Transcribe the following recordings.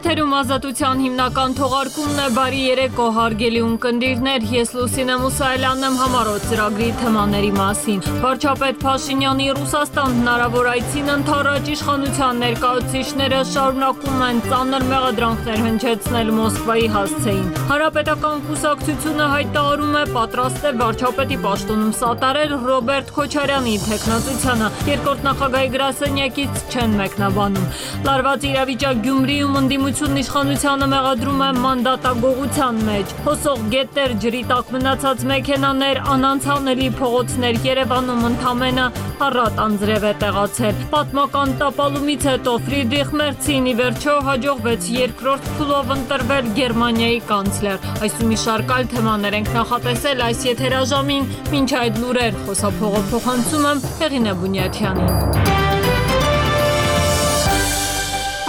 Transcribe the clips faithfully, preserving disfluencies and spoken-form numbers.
Եթերում ազատության հիմնական թողարկումն է, բարի երեկո հարգելի ունկնդիրներ, ես Լուսինե Մուսայելյանն եմ համառոտ ծրագրի թեմաների մասին։ Վարչապետ Փաշինյանի Ռուսաստան հնարավոր այցին ընդառաջ իշխանության ներկայացուցիչները շարունակում են ծանր մեղադրանքներ հնչեցնել Մոսկվայի հասցեին։ Հանրապետական կուսակցությունը հայտարարում է պատրաստ է վարչապետի պաշտոնում սատարել Ռոբերտ Քոչարյանի թեկնածությանը, երկրորդ նախագահի գրասենյակից չեն մեկնաբանում։ Լարված իրավիճակ Գյումրիում ընդդիմությունն իշխանությանը մեղադրում է մանդատագողության մեջ։ Հոսող գետեր, ջրի տակ մնացած մեքենաներ, անանցանելի փողոցներ, Երևանում ընդամենը առատ անձրև է տեղացել։ Պատմական տապալումից հետո Ֆրիդրիխ Մերցին ի վերջո հաջողվեց երկրորդ փուլով ընտրվել Գերմանիայի կանցլեր։ Այսու մի շարք այլ թեմաներ ենք նախատեսել այս եթերաժամին, մինչ այդ լուրեր խոսափողով փոխանցում եմ Հեղինե Բունյաթյանին։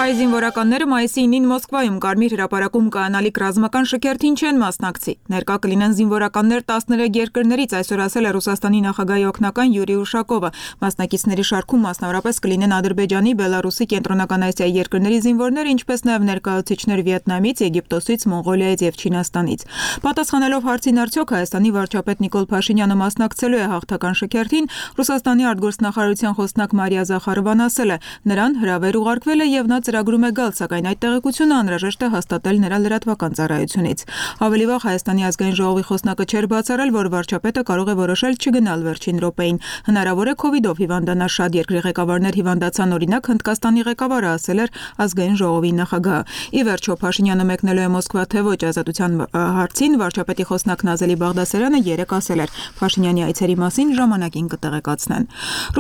Հայ զինվորականները մայիսի ինին Մոսկվայում Կարմիր հրապարակում կայանալիք ռազմական շքերթին չեն մասնակցի։ Ներկա կլինեն զինվորականներ տասներեք երկրներից, այսօր ասել է Ռուսաստանի նախագահի օգնական Յուրի Ուշակովը։ Մասնակիցների շարքում մասնավորապես կլինեն Ադրբեջանի, Բելարուսի, Կենտրոնական Ասիայի երկրների զինվորներ, ինչպես նաև ներկայացուցիչներ Վիետնամից, Եգիպտոսից, Մոնղոլիայից եւ Չինաստանից։ Պատասխանելով հարցին արդյոք Հայաստանի վարչապետ Նիկոլ Փաշինյանը մասնակցելու է հաղթական շքերթին, Ռուսաստանի արտգործնախարարության խոսնակ Մարիա Զախարովան ասել է. նրան հրավեր ուղարկվել է եւ նա ծրագրում է գալ, սակայն այդ տեղեկությունը անհրաժեշտ է հաստատել նրա լրատվական ծառայությունից։ Ավելի վաղ Հայաստանի ազգային ժողովի խոսնակը չէր բացառել, որ վարչապետը կարող է որոշել չգնալ վերջին րոպեին։ Հնարավոր է քովիդով հիվանդանալ շատ երկրի ղեկավարներ հիվանդացան, օրինակ Հնդկաստանի ղեկավարը ասել էր ազգային ժողովի նախագահը։ Ի վերջո Փաշինյանը մեկնելու է Մոսկվա թե ոչ ազատության հարցին, վարչապետի խոսնակ Նազելի Բաղդասարյանը երեկ ասել էր Փաշինյանի այցերի մասին ժամանակին կտեղեկացնեն։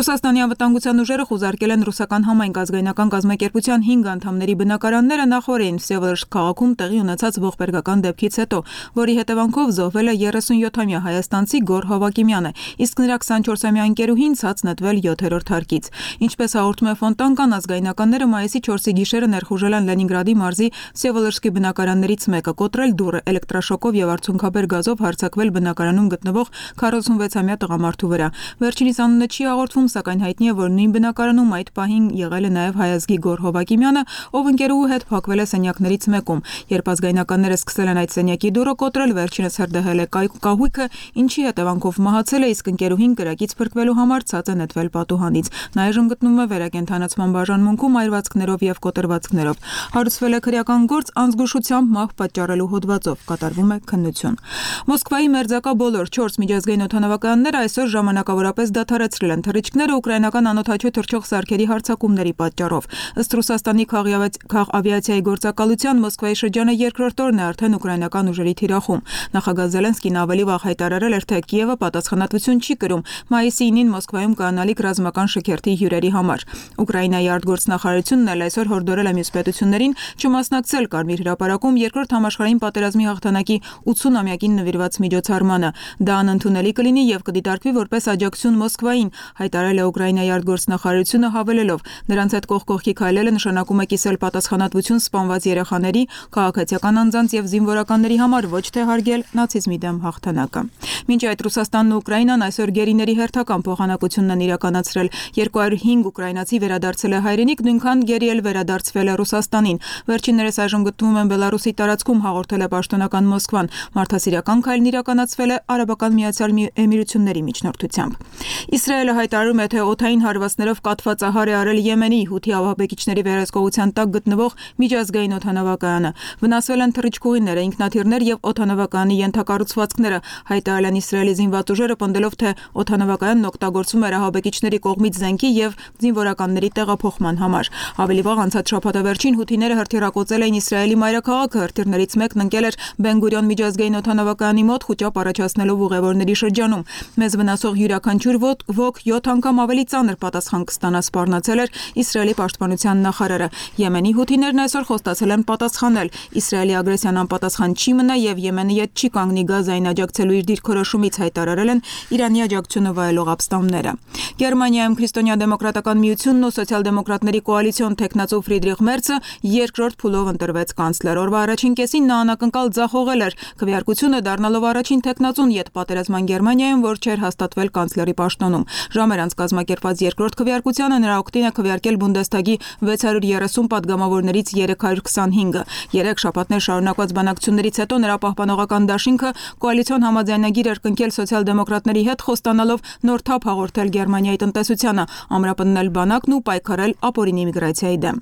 Ռուսաստանի անվտանգության ուժերը խուզարկել են ռուսական համայնք ազգայնական կազմակերպության հինգ անդամների բնակարանները նախորդին Վսևոլոդսկ քաղաքում տեղի ունեցած ողբերգական դեպքից հետո, որի հետևանքով զոհվել է երեսունյոթամյա հայաստանցի Գոռ Հովակիմյանը, իսկ նրա քսանչորսամյա ընկերուհին ցած նետվել յոթերորդ հարկից։ Ինչպես հաղորդում է Ֆոնտանկան, ազգայնականները մայիսի չորսի գիշերը ներխուժել են Լենինգրադի մարզի Վսևոլոդսկի բնակարաններից մեկը, կոտրել դուռը, էլեկտրաշոկով եւ արցունքաբեր գազով հարձակվել բնակարանում գտնվող քառասունվեցամյա տղամարդու վրա։ Վերջինիս անունը չի հաղորդվում, սակայն հայտնի է, որ նույն բնակարանում այդ պահին եղել է նաեւ հայազգի Գոռ Հովակիմյանը, ով ընկերուհու հետ փակվել է սենյակներից մեկում։ Երբ ազգայնականները սկսել են այդ սենյակի դուռը կոտրել, վերջինս հրդեհել է կահույքը, ինչի հետևանքով մահացել է, իսկ ընկերուհին կրակից փրկվելու համար ցած է նետվել պատուհանից։ Նա այժմ գտնվում է վերակենդանացման բաժանմունքում այրվածքներով եւ կոտրվածքներով։ Հարուցվել է քրեական գործ անզգուշությամբ մահ պատճառելու հոդվածով, կատարվում է քննություն։ Մոսկվայի մերձակա բոլոր չորս միջազգային օդանավակայանները այսօր ժամանակավորապես դադարեցրել են թռիչքները ուկրաինական անօդաչու թռչող սարքերի հարձակումների պատճառով։ Ըստ Ռուսաստանի քաղավիացիայի գործակալության Մոսկվայի շրջանը երկրորդ օրն է արդեն ուկրաինական ուժերի թիրախում։ Նախագահ Զելենսկին ավելի վաղ հայտարարել էր, թե Կիևը պատասխանատվություն չի կրում մայիսի ինին Մոսկվայում կայանալիք ռազմական շքերթի հյուրերի համար։ Ուկրաինայի արտգործնախարարությունն էլ այսօր հորդորել է մյուս պետություններին չմասնակցել Կարմիր հրապարակում երկրորդ համաշխարհային պատերազմի հաղթանակի ութսունամյակին նվիրված միջոցառմանը։ Դա անընդունելի կլինի եւ կդիտարկվի որպես աջակցություն Մոսկվային, հայտարարել է Ուկրաինայի արտգործնախարարությունը հավելելով. նրանց հետ կողք կողքի քայլելը նշանակում է կիսել պատասխանատվություն սպանված երեխաների, քաղաքացիական անձանց եւ զինվորականների համար, ոչ թե հարգել նացիզմի դեմ հաղթանակը։ Մինչ այդ Ռուսաստանն ու Ուկրաինան այսօր գերիների հերթական փոխանակությունն են իրականացրել։ երկու հարյուր հինգ ուկրաինացի վերադարձել է հայրենիք, նույնքան գերի էլ վերադարձվել է Ռուսաստանին։ Վերջիններս այժմ գտնվում են Բելարուսի տարածքում, հաղորդել է պաշտոնական Մոսկվան։ Մարդասիրական քայլն իրականացվել է Արաբական Միացյալ Էմիրությունների միջնորդությամբ։ Իսրայելը հայտարարում է, թե օդային հարվածներով կաթվածահար է արել Եմենի Հութի ավաբեկիչների վերահսկողության տակ գտնվող միջազգային օդանավակայանը։ Վնասվել են թռիչքուղիները, ինքնաթիռներ եւ օդանավակայանի ենթակառուցվածքները, հայտարարել են Իսրայելի զինված ուժերը, պնդելով, թե օդանավակայանն օգտագործվում էր ահաբեկիչների կողմից զենքի եւ զինվորականների տեղափոխման համար։ Ավելի վաղ անցած շաբաթավերջին հութիները հրթիռակոծել էին Իսրայելի մայրաքաղաքը, հրթիռներից մեկն ընկել էր Բեն-Գուրիոն միջազգային օդանավակայանի մոտ, խուճապ առաջացնելով ուղևորների շրջանում։ Մեզ վնասող յուրաքանչյուր ոք յոթ անգամ ավելի ծանր պատասխան կստանա, սպառնացել էր Իսրայելի պաշտպանության նախարարը։ Եմենի հութիներն այսօր խոստացել են պատասխանել։ Իսրայելի ագրեսիան անպատասխան չի մնա եւ Եմենը ետ չի կանգնի Գազային աջակցելու իր դիրքորոշումից, հայտարարել են Իրանի աջակցությունը վայելող ապստամբները։ Գերմանիայում քրիստոնյա դեմոկրատական միությունն ու սոցիալ-դեմոկրատների կոալիցիոն տեխնացու Ֆրիդրիխ Մերցը երկրորդ փուլով ընտրվեց կանցլեր։ Օրվա առաջին կեսին նա անակնկալ ձախողել էր քվեարկությունը, դառնալով առաջին տեխնացուն յետ պատերազմյան Գերմանիայում, որ չէր հաստատվել կանցլերի պաշտոնում։ Ժամեր անց կազմակերպված երկրորդ քվեարկությանը նրա օգտին է քվեարկել Բունդեսթագի վեց հարյուր երեսուն պատգամավորներից երեք հարյուր քսանհինգը։ Երեք շաբաթներ շարունակված բանակցություններից հետո նրա պահպանողական դաշինքը կոալիցիոն համաձայնագիր էր կնքել սոցիալ-դեմոկրատների հետ, խոստանալով նոր թափ հաղորդել Գերմանիայի տնտեսությանը, ամրապնդել բանակն ու պայքարել ապօրինի միգրացիայի դեմ։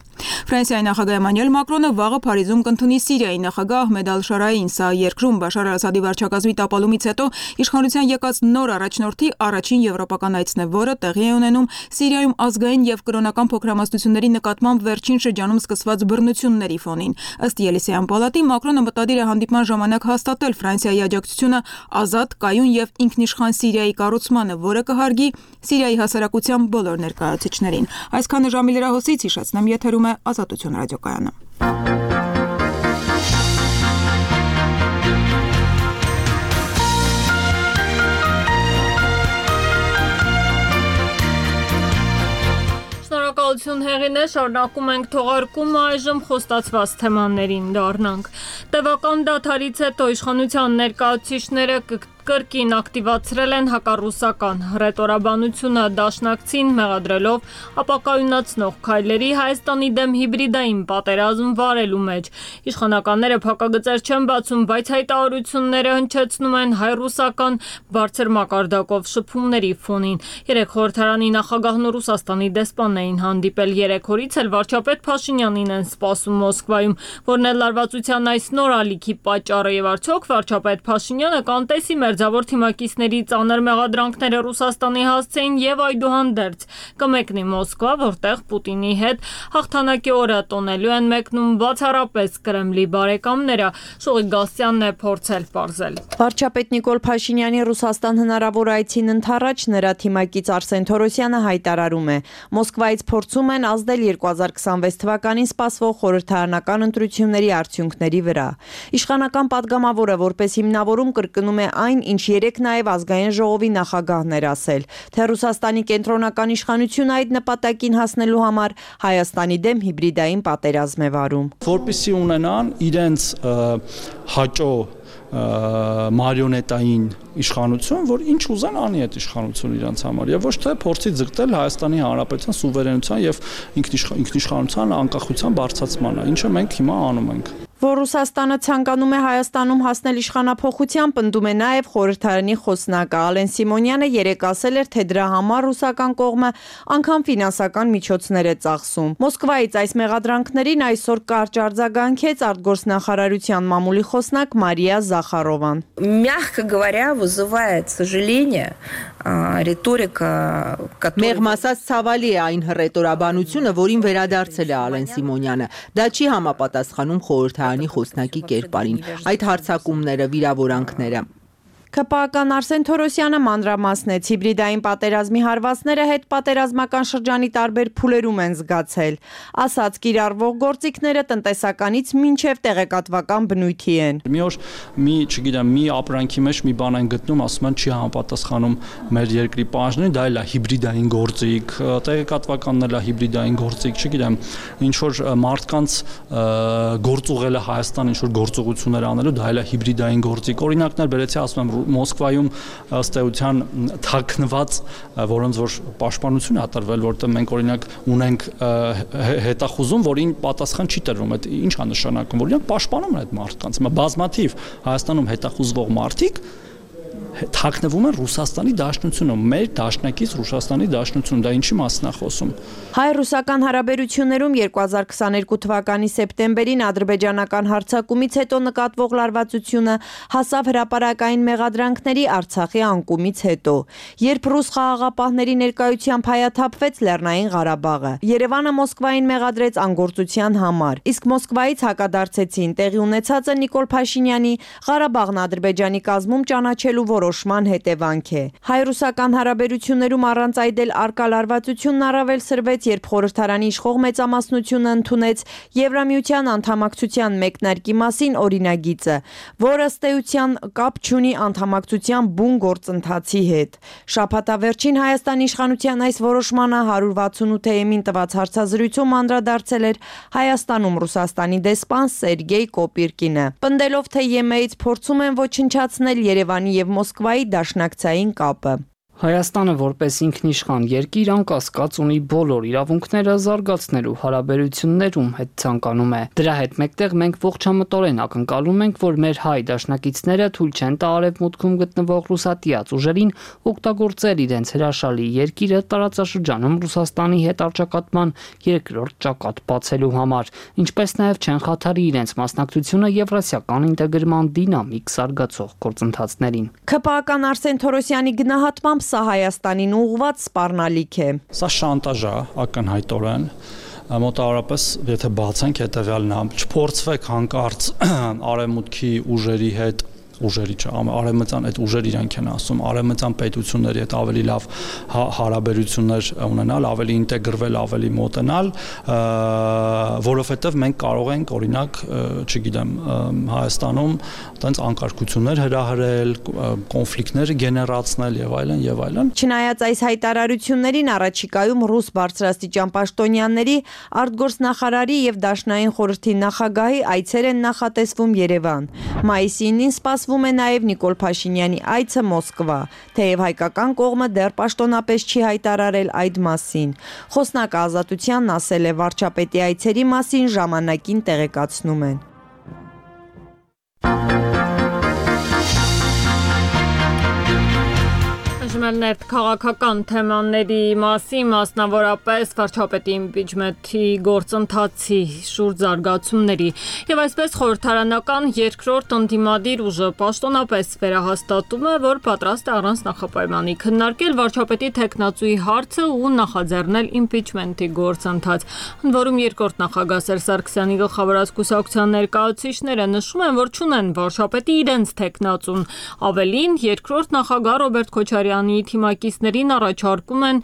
Ֆրանսիայի նախագահ Էմանուել Մակրոնը վաղը Փարիզում կընդունի Սիրիայի նախագահ Ահմեդ Ալ-Շարային, սա երկրում Բաշար Ասադի վարչակազմի տապալումից հետո իշխանության եկած նոր առաջնորդի առաջին եվրոպական այցն է, որը տեղի է ունենում Սիրիայում ազգային եւ կրոնական փոքրամասնությունների նկատմամբ վերջին շրջանում սկսված բռնությունների ֆոնին։ Ըստ Ելիսեյան պալատի Մակրոնը մտադիր է հանդիպման ժամանակ հաստատել Ֆրանսիայի աջակցությունը ազատ, կայուն եւ ինքնիշխան Սիրիայի կառուցմանը, որը կհարգի Սիրիայի հասարակության բոլոր ներկայացուցիչներին։ Այսքանը ժամի լրահոսից հիշեցնեմ, եթերում է Ազատություն ռադիոկայանը։ Շնորհակալություն Հեղինե, շարունակում ենք թողարկումը, այժմ խոստացված թեմաներին դառնանք։ Տևական դադարից հետո իշխանության ներկայացուցիչները կրկին ակտիվացրել են հակառուսական հռետորաբանությունը դաշնակցին մեղադրելով ապակայունացնող քայլերի Հայաստանի դեմ հիբրիդային պատերազմ վարելու մեջ։ Իշխանականները փակագծեր չեն բացում, բայց հայտարարությունները հնչեցնում են հայ-ռուսական բարձր մակարդակով շփումների ֆոնին։ Երեք խորհրդարանի նախագահն ու Ռուսաստանի դեսպանն էին հանդիպել, երեք օրից էլ վարչապետ Փաշինյանին են սպասում Մոսկվայում, որն էլ լարվածության այս նոր ալիքի պատճառը եւ արդյոք վարչապետ Փաշինյանը կանտեսի մերձավոր թիմակիցների ծանր մեղադրանքները Ռուսաստանի հասցեին եւ այդուհանդերձ կմեկնի Մոսկվա, որտեղ Պուտինի հետ հաղթանակի օրը տոնելու են մեկնում բացառապես Կրեմլի բարեկամները։ Շուղի Գասյանն է փորձել պարզել։ Վարչապետ Նիկոլ Փաշինյանի Ռուսաստան հնարավոր այցին ընդառաջ նրա թիմակից Արսեն Թորոսյանը հայտարարում է. Մոսկվայից փորձում են ազդել երկու հազար քսանվեց թվականին սպասվող խորհրդարանական ընտրությունների արդյունքների վրա։ Իշխանական падգամավորը որպես հիմնավորում կրկնում է այն, ինչ երեք նաև ազգային ժողովի նախագահն էր ասել, թե Ռուսաստանի կենտրոնական իշխանությունը այդ նպատակին հասնելու համար Հայաստանի դեմ հիբրիդային պատերազմ է վարում։ Որպեսզի ունենան իրենց հաճո մարիոնետային իշխանություն, որ ինչ ուզեն անի այդ իշխանությունը իրենց համար եւ ոչ թե փորձի ձգտել Հայաստանի Հանրապետության սուվերենության եւ ինքնիշխանության անկախության բարձրացմանը, ինչը մենք հիմա անում ենք։ Որ Ռուսաստանը ցանկանում է Հայաստանում հասնել իշխանափոխության, պնդում է նաև խորհրդարանի խոսնակը Ալեն Սիմոնյանը երեկ ասել էր, թե դրա համար ռուսական կողմը անգամ ֆինանսական միջոցներ է ծախսում։ Մոսկվայից այս մեղադրանքներին այսօր կարճ արձագանքեց արտգործնախարարության մամուլի խոսնակ Մարիա Զախարովան։ Мягко говоря, вызывает сожаление риторика, Մեղմ ասած ցավալի է այն հռետորաբանությունը, որին վերադարձել է Ալեն Սիմոնյանը։ Դա չի համապատասխանում խորհրդարանի խոսնակի կերպարին։ Այդ հարձակումները, վիրավորանքները ՔՊԱ-ական Արսեն Թորոսյանը մանրամասնեց հիբրիդային պատերազմի հարվածները հետ պատերազմական շրջանի տարբեր փուլերում են զգացել։ Ասաց կիրառվող գործիքները տնտեսականից մինչև տեղեկատվական բնույթի են։ Մի օր մի, չգիտեմ, մի ապրանքի մեջ մի բան են գտնում, ասում են չի համապատասխանում մեր երկրի պահանջներին, դա էլ է հիբրիդային գործիք, տեղեկատվականն էլ է հիբրիդային գործիք, չգիտեմ, ինչ որ մարդկանց գործուղելը Հայաստան ինչ որ գործողություններ անելու, դա էլ է հիբրիդային գործիք։ Օրինակներ բերեցի, ասում եմ Մոսկվայում ըստ էության թաքնված, որոնց որ պաշտպանություն է տրվել, որտեղ մենք օրինակ ունենք հետախուզում, որին պատասխան չի տրվում, այդ ինչ է նշանակում, որ իրենք պաշտպանում են այդ մարդկանց։ Հիմա բազմաթիվ Հայաստանում հետախուզվող մարդիկ թաքնվում են Ռուսաստանի Դաշնությունում, մեր դաշնակից Ռուսաստանի Դաշնությունում, դա ինչի մասն է խոսում։ Հայ-ռուսական հարաբերություններում երկու հազար քսաներկու թվականի սեպտեմբերին ադրբեջանական հարձակումից հետո նկատվող լարվածությունը հասավ հրապարակային մեղադրանքների Արցախի անկումից հետո, երբ ռուս խաղաղապահների ներկայությամբ հայաթափվեց Լեռնային Ղարաբաղը։ Երևանը Մոսկվային մեղադրեց անգործության համար, իսկ Մոսկվայից հակադարձեցին տեղի ունեցածը Նիկոլ Փաշինյանի Ղարաբաղն Ադրբեջանի կազմում ճանաչելու որոշման հետևանք է։ Հայ-ռուսական հարաբերություններում առանց այդ էլ արկա լարվածությունն առավել սրվեց, երբ խորհրդարանի իշխող մեծամասնությունը ընդունեց Եվրամիության անդամակցության մեկնարկի մասին օրինագիծը, որը ըստ էության կապ չունի անդամակցության բուն գործընթացի հետ։ Շաբաթավերջին Հայաստանի իշխանության այս որոշմանը հարյուր վաթսունութ-ին տված հարցազրույցում անդրադարձել էր Հայաստանում Ռուսաստանի դեսպան Սերգեյ Կոպիրկինը, պնդելով, թե ԵՄ-ից փորձում են ոչնչացնել Երևանի եւ Մոսկվայի դաշնակցային կապը։ Հայաստանը որպես ինքնիշխան երկիր անկասկած ունի բոլոր իրավունքները զարգացնելու հարաբերություններում հետ ցանկանում է։ Դրա հետ մեկտեղ մենք ողջամտորեն ակնկալում ենք, որ մեր հայ դաշնակիցները թույլ չեն տա արևմուտքում գտնվող ռուսատիաց ուժերին օգտագործել իրենց հրաշալի երկիրը տարածաշրջանում Ռուսաստանի հետ առճակատման երկրորդ ճակատ բացելու համար, ինչպես նաև չեն խաթարի իրենց մասնակցությունը եվրասիական ինտեգրման դինամիկ զարգացող գործընթացներին։ ՔՊԱ-ական Արսեն Թորոսյանի գնահատմամբ սա Հայաստանին ուղղված սպառնալիք է։ Սա շանտաժ է ակնհայտորեն, մոտավորապես եթե բացենք հետևյալն է, չփորձվեք հանկարծ արևմուտքի ուժերի հետ ուժերի չէ, արևմտյան այդ ուժեր իրանք են ասում, արևմտյան պետությունների հետ ավելի լավ հարաբերություններ ունենալ, ավելի ինտեգրվել, ավելի մոտենալ, որովհետև մենք կարող ենք օրինակ, չգիտեմ, Հայաստանում տենց անկարգություններ հրահրել, կոնֆլիկտներ գեներացնել եւ այլն եւ այլն։ Չնայած այս հայտարարություններին առաջիկայում ռուս բարձրաստիճան պաշտոնյաների, արտգործնախարարի եւ Դաշնային խորհրդի նախագահի այցեր են նախատեսվում Երևան։ Մայիսին սպասվում է նաև Նիկոլ Փաշինյանի այցը Մոսկվա, թեև հայկական կողմը դեռ պաշտոնապես չի հայտարարել այդ մասին։ Խոսնակը Ազատությանն ասել է, վարչապետի այցերի մասին ժամանակին տեղեկացնում են։ Ներդ քաղաքական թեմաների մասին, մասնավորապես վարչապետի իմպիչմենթի գործընթացի շուրջ զարգացումների եւ այսպես խորհրդարանական երկրորդ ընդդիմադիր ուժը պաշտոնապես վերահաստատում է, որ պատրաստ է առանց նախապայմանի քննարկել վարչապետի թեկնածուի հարցը ու նախաձեռնել իմպիչմենթի գործընթաց։ Ընդ որում երկրորդ նախագահ Սերժ Սարգսյանի գլխավորած կուսակցության ներկայացուցիչները նշում են, որ չունեն վարչապետի իրենց թեկնածուն։ Ավելին, երկրորդ նախագահ Ռոբերտ Քոչարյանի թիմակիցներին առաջարկում են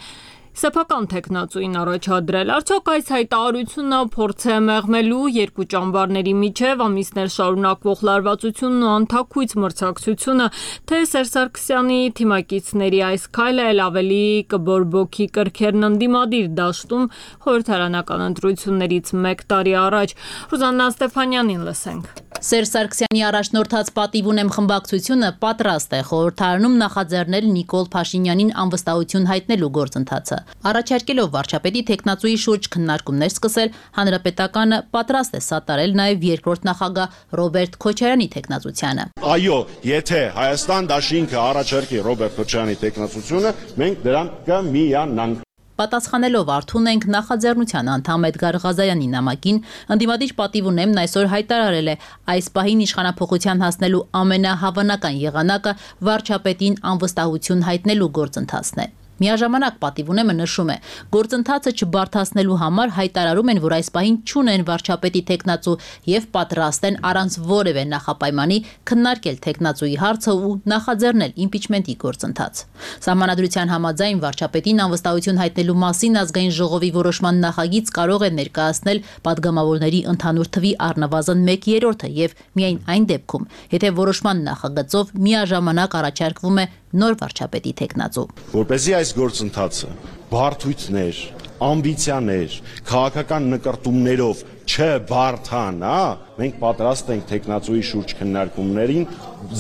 սեփական թեկնածուին առաջադրել։ Արդյոք այս հայտարարությունը փորձ է մեղմելու երկու ճամբարների միջև ամիսներ շարունակվող լարվածությունն ու անթաքույց մրցակցությունը, թե Սերժ Սարգսյանի թիմակիցների այս քայլը էլ ավելի կբորբոքի կրքերն ընդդիմադիր դաշտում խորհրդարանական ընտրություններից մեկ տարի առաջ։ Ռուզաննա Ստեփանյանին լսենք։ Սերժ Սարգսյանի առաջնորդած պատիվ ունեմ խմբակցությունը պատրաստ է խորհրդարանում նախաձեռնել Նիկոլ Փաշինյանին անվստահություն հայտնելու գործընթացը։ Առաջարկելով վարչապետի թեկնածուի շուրջ քննարկումներ սկսել, Հանրապետականը պատրաստ է սատարել նաև երկրորդ նախագահ Ռոբերտ Քոչարյանի թեկնածությանը։ Այո, եթե Հայաստան դաշինքը առաջարկի Ռոբերտ Քոչարյանի թեկնածությունը, մենք դրան կմիանանք։ Պատասխանելով Արթուն ենք նախաձեռնության անդամ Էդգար Ղազարյանի նամակին, ընդդիմադիր պատիվ ունեմն այսօր հայտարարել է այս պահին իշխանափոխության հասնելու ամենահավանական եղանակը վարչապետին անվստահություն հայտնելու գործընթացն է։ Միաժամանակ պատիվ ունեմը նշում է, գործընթացը չբարդացնելու համար հայտարարում են, որ այս պահին չունեն վարչապետի թեկնածու եւ պատրաստ են առանց որևէ նախապայմանի քննարկել թեկնածուի հարցը ու նախաձեռնել իմպիչմենթի գործընթաց։ Սահմանադրության համաձայն վարչապետին անվստահություն հայտնելու մասին ազգային ժողովի որոշման նախագիծ կարող է ներկայացնել падգամավորների ընդհանուր թվի առնվազն մեկ երրորդը եւ միայն այն դեպքում, եթե որոշման նախագծով միաժամանակ առաջարկվում է նոր վարչապետի թեկնածու։ Որպեսզի այս գործընթացը բարդույթներ, ամբիցիաներ, քաղաքական նկարտումներով չբարդանա, մենք պատրաստ ենք թեկնածուի շուրջ քննարկումներին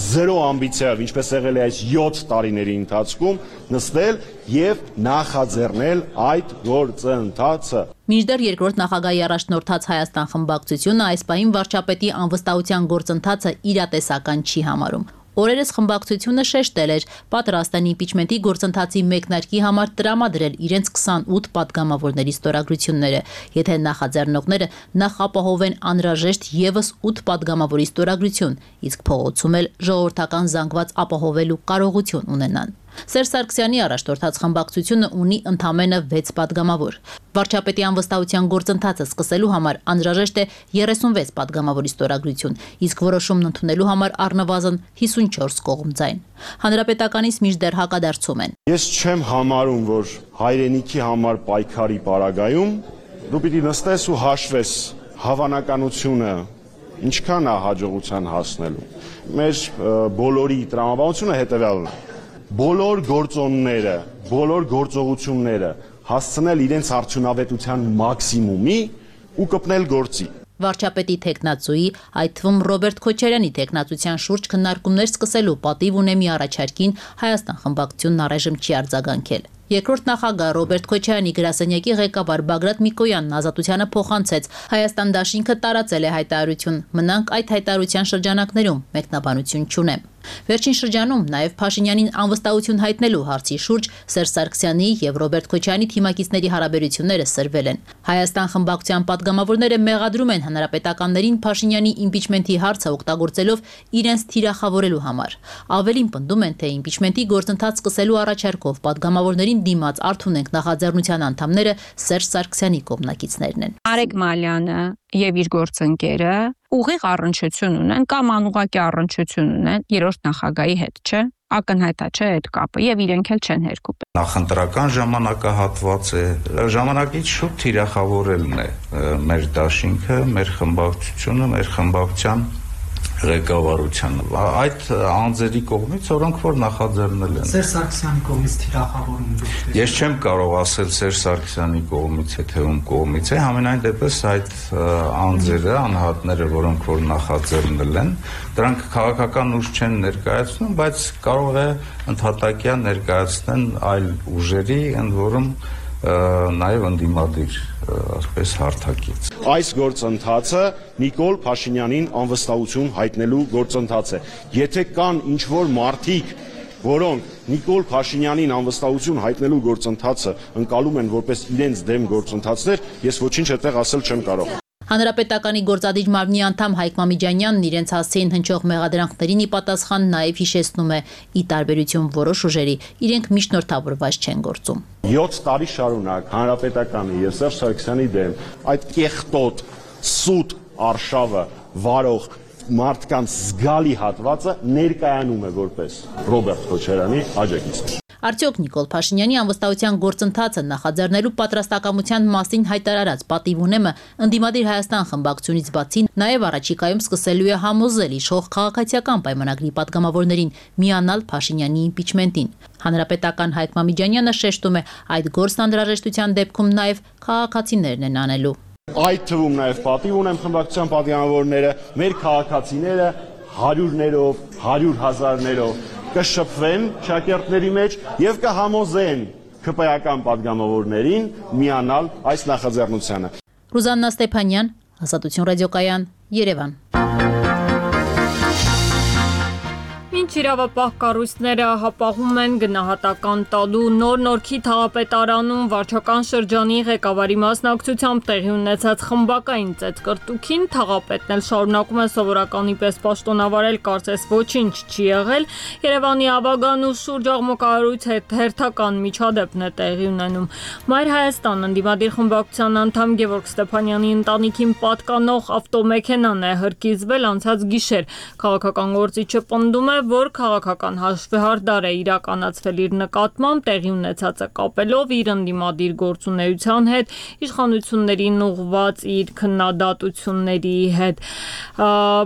զերո ամբիցիայով, ինչպես եղել է այս յոթ տարիների ընթացքում, նստել եւ նախաձեռնել այդ գործընթացը։ Մինչդեռ երկրորդ նախագահի առաջնորդած Հայաստան խմբակցությունը այս պահին վարչապետի անվստահության գործընթացը իրատեսական չի համարում։ Օրերս խմբակցությունը շեշտել էր, պատրաստ են իմպիչմենթի գործընթացի մեկնարկի համար տրամադրել իրենց քսանութ падգամավորների ստորագրությունները, եթե նախաձեռնողները նախ ապահովեն անհրաժեշտ եւս ութ падգամավորի ստորագրություն, իսկ փողոցում էլ ժողովրդական զանգված ապահովելու կարողություն ունենան։ Սերժ Սարգսյանի առաջնորդած խմբակցությունը ունի ընդամենը վեց падգամավոր։ Վարչապետի անվստահության գործընթացը սկսելու համար անհրաժեշտ է երեսունվեց падգամավորի ստորագրություն, իսկ որոշումն ընդունելու համար առնվազն հիսունչորս կողմ ձայն։ Հանրապետականից մինչդեռ հակադարձում են։ Ես չեմ համարում, որ հայրենիքի համար պայքարի պարագայում դու պիտի նստես ու հաշվես հավանականությունը ինչքան է հաջողության հասնելու։ Մեր բոլորի տրամաբանությունը հետևյալն է։ Բոլոր գործոնները, բոլոր գործողությունները հասցնել իրենց արդյունավետության մաքսիմումի ու կպնել գործի։ Վարչապետի թեկնածուի, այդ թվում Ռոբերտ Քոչարյանի թեկնածության շուրջ քննարկումներ սկսելու պատիվ ունեմի առաջարկին Հայաստան խմբակցությունն առայժմ չի արձագանքել։ Երկրորդ նախագահ Ռոբերտ Քոչարյանի գրասենյակի ղեկավար Բագրատ Միկոյանն Ազատությանը փոխանցեց. Հայաստան դաշինքը տարածել է հայտարարություն, մնանք այդ հայտարարության շրջանակներում, մեկնաբանություն չունեմ։ Վերջին շրջանում նաև Փաշինյանին անվստահություն հայտնելու հարցի շուրջ Սերժ Սարգսյանի եւ Ռոբերտ Քոչարյանի թիմակիցների հարաբերությունները սրվել են։ Հայաստան խմբակցության պատգամավորները մեղադրում են հանրապետականներին Փաշինյանի իմպիչմենթի հարցը օգտագործելով իրենց թիրախավորելու համար։ Ավելին պնդում են, թե իմպիչմենթի գործընթաց սկսելու առաջարկով պատգամավորներին դիմաց Արթունենք նախաձեռնության անդամները Սերժ Սարգսյանի կողմնակիցներն են։ Արեգ Մալյանը եւ իր գործընկերը ուղիղ առնչություն ունեն կամ անուղղակի առնչություն ունեն երրորդ նախագահի հետ, չէ՞։ Ակնհայտ է, չէ՞ այդ կապը եւ իրենք էլ չեն հերկում։ Նախընտրական ժամանակահատված է, ժամանակից շուտ թիրախավորելն է մեր դաշինքը, մեր խմբակցությունը, մեր խմբակցության ղեկավարությանը։ Այդ անձերի կողմից, որոնք որ նախաձեռնել են։ Սերժ Սարգսյանի կողմից թիրախավորում։ Ես չեմ կարող ասել Սերժ Սարգսյանի կողմից է, թե ում կողմից է, համենայն դեպս այդ անձերը, անհատները, որոնք որ նախաձեռնել են, դրանք քաղաքական ուժ չեն ներկայացնում, բայց կարող է ընդհատակյա ներկայացնեն այլ ուժերի, ընդ որում նաև ընդդիմադիր ասպես հարթակից։ Այս գործընթացը Նիկոլ Փաշինյանին անվստահություն հայտնելու գործընթաց է։ Եթե կան ինչ-որ մարդիկ, որոնք Նիկոլ Փաշինյանին անվստահություն հայտնելու գործընթացը ընկալում են որպես իրենց դեմ գործընթացներ, ես ոչինչ այդտեղ ասել չեմ կարող։ Հանրապետականի գործադիր մարմնի անդամ Հայկ Մամիջանյանն իրենց հասցեին հնչող մեղադրանքներին ի պատասխան նաև հիշեցնում է՝ ի տարբերություն որոշ ուժերի, իրենք միջնորդավորված չեն գործում։ յոթ տարի շարունակ Հանրապետականի եւ Սերժ Սարգսյանի դեմ այդ կեղտոտ սուտ արշավը վարող մարդկանց զգալի հատվածը ներկայանում է որպես Ռոբերտ Քոչարյանի աջակից։ Արդյոք Նիկոլ Փաշինյանի անվստահության գործընթացը նախաձեռնելու պատրաստակամության մասին հայտարարած պատիվ ունեմը ընդդիմադիր Հայաստան խմբակցությունից բացի նաև առաջիկայում սկսելու է համոզել իշխող քաղաքացիական պայմանագրի պատգամավորներին միանալ Փաշինյանի իմպիչմենտին։ Հանրապետական Հայկ Մամիջանյանը շեշտում է, այդ գործն անհրաժեշտության դեպքում նաև քաղաքացիներն են անելու։ Այդ թվում նաև պատիվ ունեմ խմբակցության պատգամավորները, մեր քաղաքացիները հարյուրներով, հարյուր հազարներով կշփվեն շակերտների մեջ եւ կհամոզեն ՔՊ-ական պատգամավորներին միանալ այս նախաձեռնությանը։ Ռուզաննա Ստեփանյան, Ազատություն ռադիոկայան, Երևան։ Ինչ իրավապահ կառույցները հապաղում են գնահատական տալու նոր Նորքի թաղապետարանում վարչական շրջանի ղեկավարի մասնակցությամբ տեղի ունեցած խմբակային ծեծկռտուքին, թաղապետն էլ շարունակում է սովորականի պես պաշտոնավարել, կարծես ոչինչ չի եղել։ Երևանի Աբագան ու շուրջ աղմկարարույց հետ հերթական միջադեպն է տեղի ունենում։ Մայր Հայաստան ընդդիմադիր խմբակցության անդամ Գևորգ Ստեփանյանի ընտանիքին պատկանող ավտոմեքենան է հրկիզվել անցած գիշեր։ Քաղաքական գործիչը պնդում է, որ քաղաքական հաշվեհարդար է իրականացվել իր նկատմամբ, տեղի ունեցածը կապելով իր ընդդիմադիր գործունեության հետ, իշխանություններին ուղղված իր քննադատությունների հետ։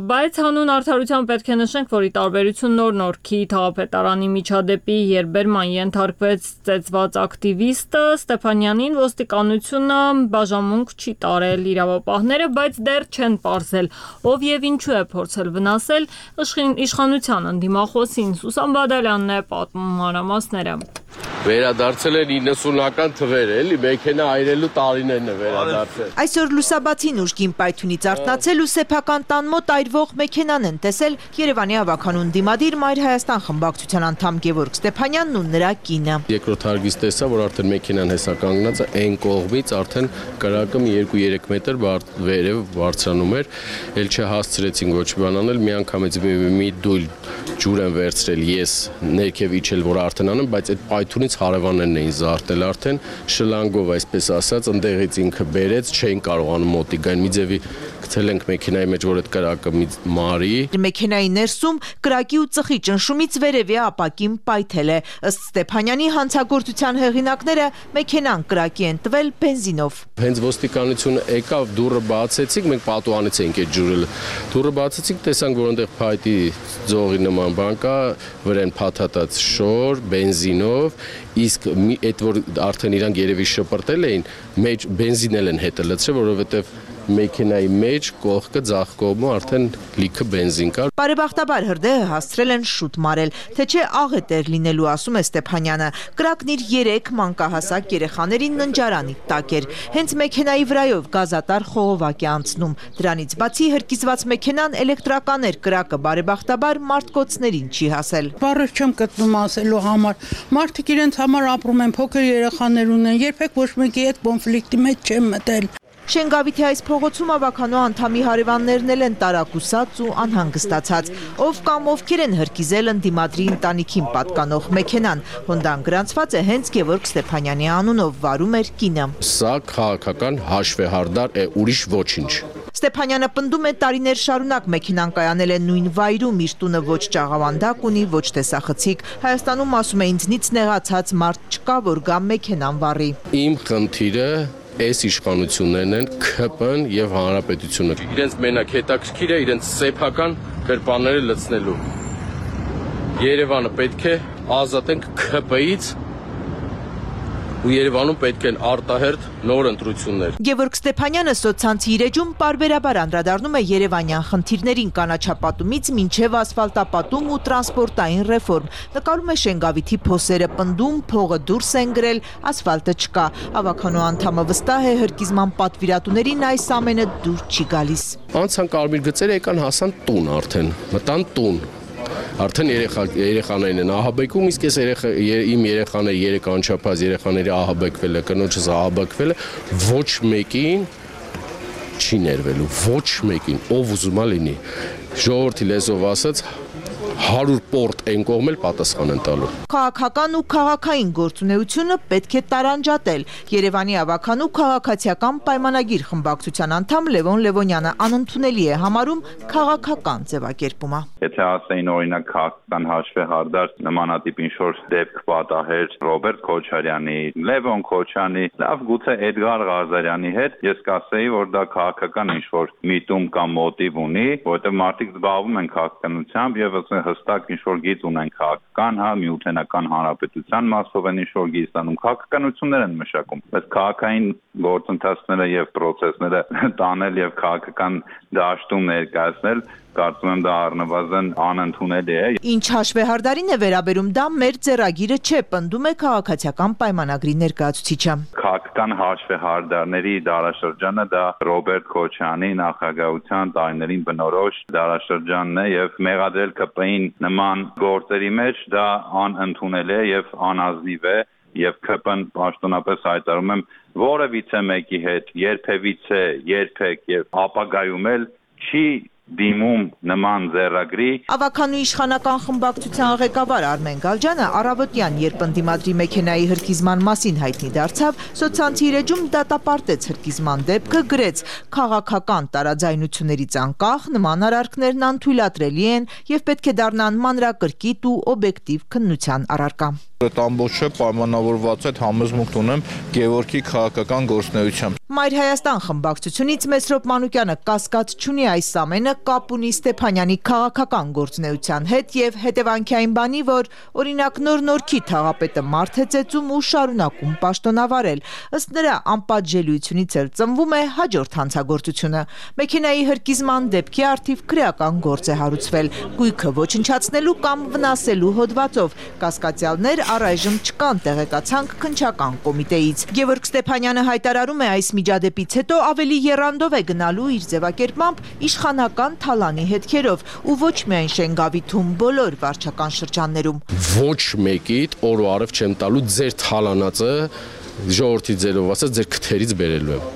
Բայց հանուն արդարության պետք է նշենք, որ ի տարբերություն նոր Նորքի թաղապետարանի միջադեպի, երբ բերման ենթարկվեց ծեծված ակտիվիստը, Ստեփանյանին ոստիկանությունը բաժանմունք չի տարել իրավապահները, բայց դեռ չեն պարզել, ով եւ ինչու է փորձել վնասել իշխանության ընդդիմախոսին։ Սուսան Բադալյանն է պատմում մանրամասները։ Վերադարձել են իննսունական թվեր, էլի մեքենա այրելու տարիներն է վերադարձել։ Այսօր լուսաբացին ուժգին պայթյունից արթնացել ու սեփական տան մոտ այրվող մեքենան են տեսել Երևանի ավականուն դիմադիր Մայր Հայաստան խմբակցության անդամ Գևորգ Ստեփանյանն ու նրա կինը։ Երկրորդ հարգից տեսա, որ արդեն մեքենան հեսա կանգնած է այն կողմից, արդեն կրակը մի երկու երեք մետր վերև բարձրանում էր, էլ չհասցրեցին ոչ բան անել, միանգամից մի դույլ ջուր են վերցրել, ես ներքև իջել, որ արդեն անեմ, բայց այդ պայթյունից հարևաններն էին զարթել արդեն, շլանգով այսպես ասած, ընդեղից ինքը բերեց, չէին կարողանում մոտիկ գան, մի ձևի գցել ենք մեքենայի մեջ, որ այդ կրակը մի մարի։ Մեքենայի ներսում կրակի ու ծխի ճնշումից վերևի ապակին պայթել է։ Ըստ Ստեփանյանի հանցագործության հեղինակները մեքենան կրակի են տվել բենզինով։ Հենց ոստիկանությունը եկավ, դուռը բացեցինք, մենք պատուհանից էինք այդ ջուրը։ Դուռը բացեցինք, տեսանք, որ այնտեղ փայտի ձողի նման բան կա, վրան փաթաթած շոր, բենզինով, իսկ այդ որ արդեն իրանք երևի շպրտել էին, մեջ բենզին են հետը լցրել, որովհետև մեքենայի մեջ կողքը ձախ կողմը արդեն լիքը բենզին կար։ Բարեբախտաբար հրդեհը հասցրել են շուտ մարել, թե չէ աղետ էր լինելու, ասում է Ստեփանյանը։ Կրակն իր երեք մանկահասակ երեխաներին ննջարանի տակ էր։ Հենց մեքենայի վրայով գազատար խողովակ է անցնում։ Դրանից բացի հրկիզված մեքենան էլեկտրական էր, կրակը բարեբախտաբար մարդկոցներին չի հասել։ Բառեր չեմ գտնում ասելու համար։ Մարդիկ իրենց համար ապրում են, փոքր երեխաներ ունեն, երբեք ոչ մեկի հետ կոնֆլիկտի մեջ չեմ մտել։ Շենգավիթի այս փողոցում ավականո անդամի հարևաններն էլ են տարակուսած ու անհանգստացած, ով կամ ովքեր են հրկիզել ընդդիմադրի ընտանիքին պատկանող մեքենան։ Հոնդան գրանցված է հենց Գևորգ Ստեփանյանի անունով, վարում էր կինը։ Սա քաղաքական հաշվեհարդար է, ուրիշ ոչինչ։ Ստեփանյանը պնդում է տարիներ շարունակ մեքենան կայանել է նույն վայրում, իր տունը ոչ ճաղավանդակ ունի, ոչ տեսախցիկ։ Հայաստանում, ասում է, ինձնից նեղացած մարդ չկա, որ գա մեքենան վառի։ Իմ խնդիրը այս իշխանություններն են ՔՊ-ն եւ հանրապետությունը։ Իրենց մենակ հետաքրքիր է իրենց սեփական գրպանները լցնելու։ Երևանը պետք է ազատենք ՔՊ-ից ու Երևանում պետք են արտահերթ նոր ընտրություններ։ Գևորգ Ստեփանյանը սոցցանցի իր էջում պարբերաբար անդրադառնում է երևանյան խնդիրներին, կանաչապատումից մինչև ասֆալտապատում ու տրանսպորտային ռեֆորմ։ Նկարում է Շենգավիթի փոսերը, պնդում փողը դուրս են գրել, ասֆալտը չկա։ Ավականո անդամը վստահ է հրկիզման պատվիրատուներին այս ամենը դուր չի գալիս։ Անցան կարմիր գծերը եկան հասան տուն արդեն, մտան տուն։ Արդեն երեխա երեխաներն են ահաբեկում, իսկ ես երեխա իմ երեխաները երեք անչափահաս երեխաների ահաբեկվել է, կնոջս ահաբեկվել է, ոչ մեկին չի ներվելու, ոչ մեկին, ով ուզում է լինի։ Ժողովրդի լեզվով ասած հարյուր պորտ են կողմել պատասխան են տալու։ Քաղաքական ու քաղաքային գործունեությունը պետք է տարանջատել։ Երևանի ավականու քաղաքացիական պայմանագիր խմբակցության անդամ Լևոն Լևոնյանը անընդունելի է համարում քաղաքական ձևակերպումը։ Եթե ասեին օրինակ քաղաքական հաշվեհարդար նմանատիպ ինչ-որ դեպք պատահեր Ռոբերտ Քոչարյանի, Լևոն Քոչյանի, լավ գուցե Էդգար Ղազարյանի հետ, ես կասեի, որ դա քաղաքական ինչ-որ միտում կամ մոտիվ ունի, որովհետև մարդիկ զբաղվում են քաղաքականությամբ եւ հստակ ինչ-որ գիծ ունեն քաղաքական, հա, միութենական հանրապետության մասով են ինչ-որ գիծ տանում, քաղաքականություններ են մշակում, բայց քաղաքային գործընթացները եւ պրոցեսները տանել եւ քաղաքական դաշտում ներկայացնել, կարծում եմ դա առնվազն անընդունելի է։ Ինչ հաշվեհարդարին է վերաբերում, դա մեր ձեռագիրը չէ, պնդում է քաղաքացիական պայմանագրի ներկայացուցիչը։ Քաղաքական հաշվեհարդարների դարաշրջանը դա Ռոբերտ Քոչյանի նախագահության տարիներին բնորոշ դարաշրջանն է եւ մեղադրել ԿՊ-ին նման գործերի մեջ դա անընդունելի է եւ անազնիվ է եւ ԿՊ-ն պաշտոնապես հայտարարում եմ որևիցե մեկի հետ երբևիցե երբեք եւ ապագայում էլ չի դիմում նման ձեռագրի։ Ավականու իշխանական խմբակցության ղեկավար Արմեն Գալջյանը առավոտյան, երբ ընդդիմադրի մեքենայի հրկիզման մասին հայտնի դարձավ, սոցցանցի իր էջում դատապարտեց հրկիզման դեպքը, գրեց. քաղաքական տարաձայնություններից անկախ նման արարքներն անթույլատրելի են եւ պետք է դառնան մանրակրկիտ ու օբյեկտիվ քննության առարկա։ Այդ ամբողջը պայմանավորված է համոզմունք ունեմ Գևորգի քաղաքական գործունեությամբ։ Մայր Հայաստան խմբակցությունից Մեսրոպ Մանուկյանը կասկած չունի այս ամենը կապ ունի Ստեփանյանի քաղաքական գործունեության հետ եւ հետևանքի այն բանի, որ օրինակ նոր Նորքի թաղապետը մարդ է ծեծում ու շարունակում պաշտոնավարել։ Ըստ նրա անպատժելիությունից էլ ծնվում է հաջորդ հանցագործությունը։ Մեքենայի հրկիզման դեպքի առթիվ քրեական գործ է հարուցվել, գույքը ոչնչացնելու կամ վնասելու հոդվածով։ Կասկածյալներ առայժմ չկան, տեղեկացանք քննչական կոմիտեից։ Գևորգ Ստեփանյանը հայտարարում է այս միջադեպից հետո ավելի եռանդով է գնալու իր ձևակերպմամբ իշխանական թալանի հետքերով ու ոչ միայն Շենգավիթում, բոլոր վարչական շրջաններում։ Ոչ մեկիդ օր ու արև չեմ տալու ձեր թալանածը ժողովրդի ձերով ասած ձեր քթերից բերելու եմ։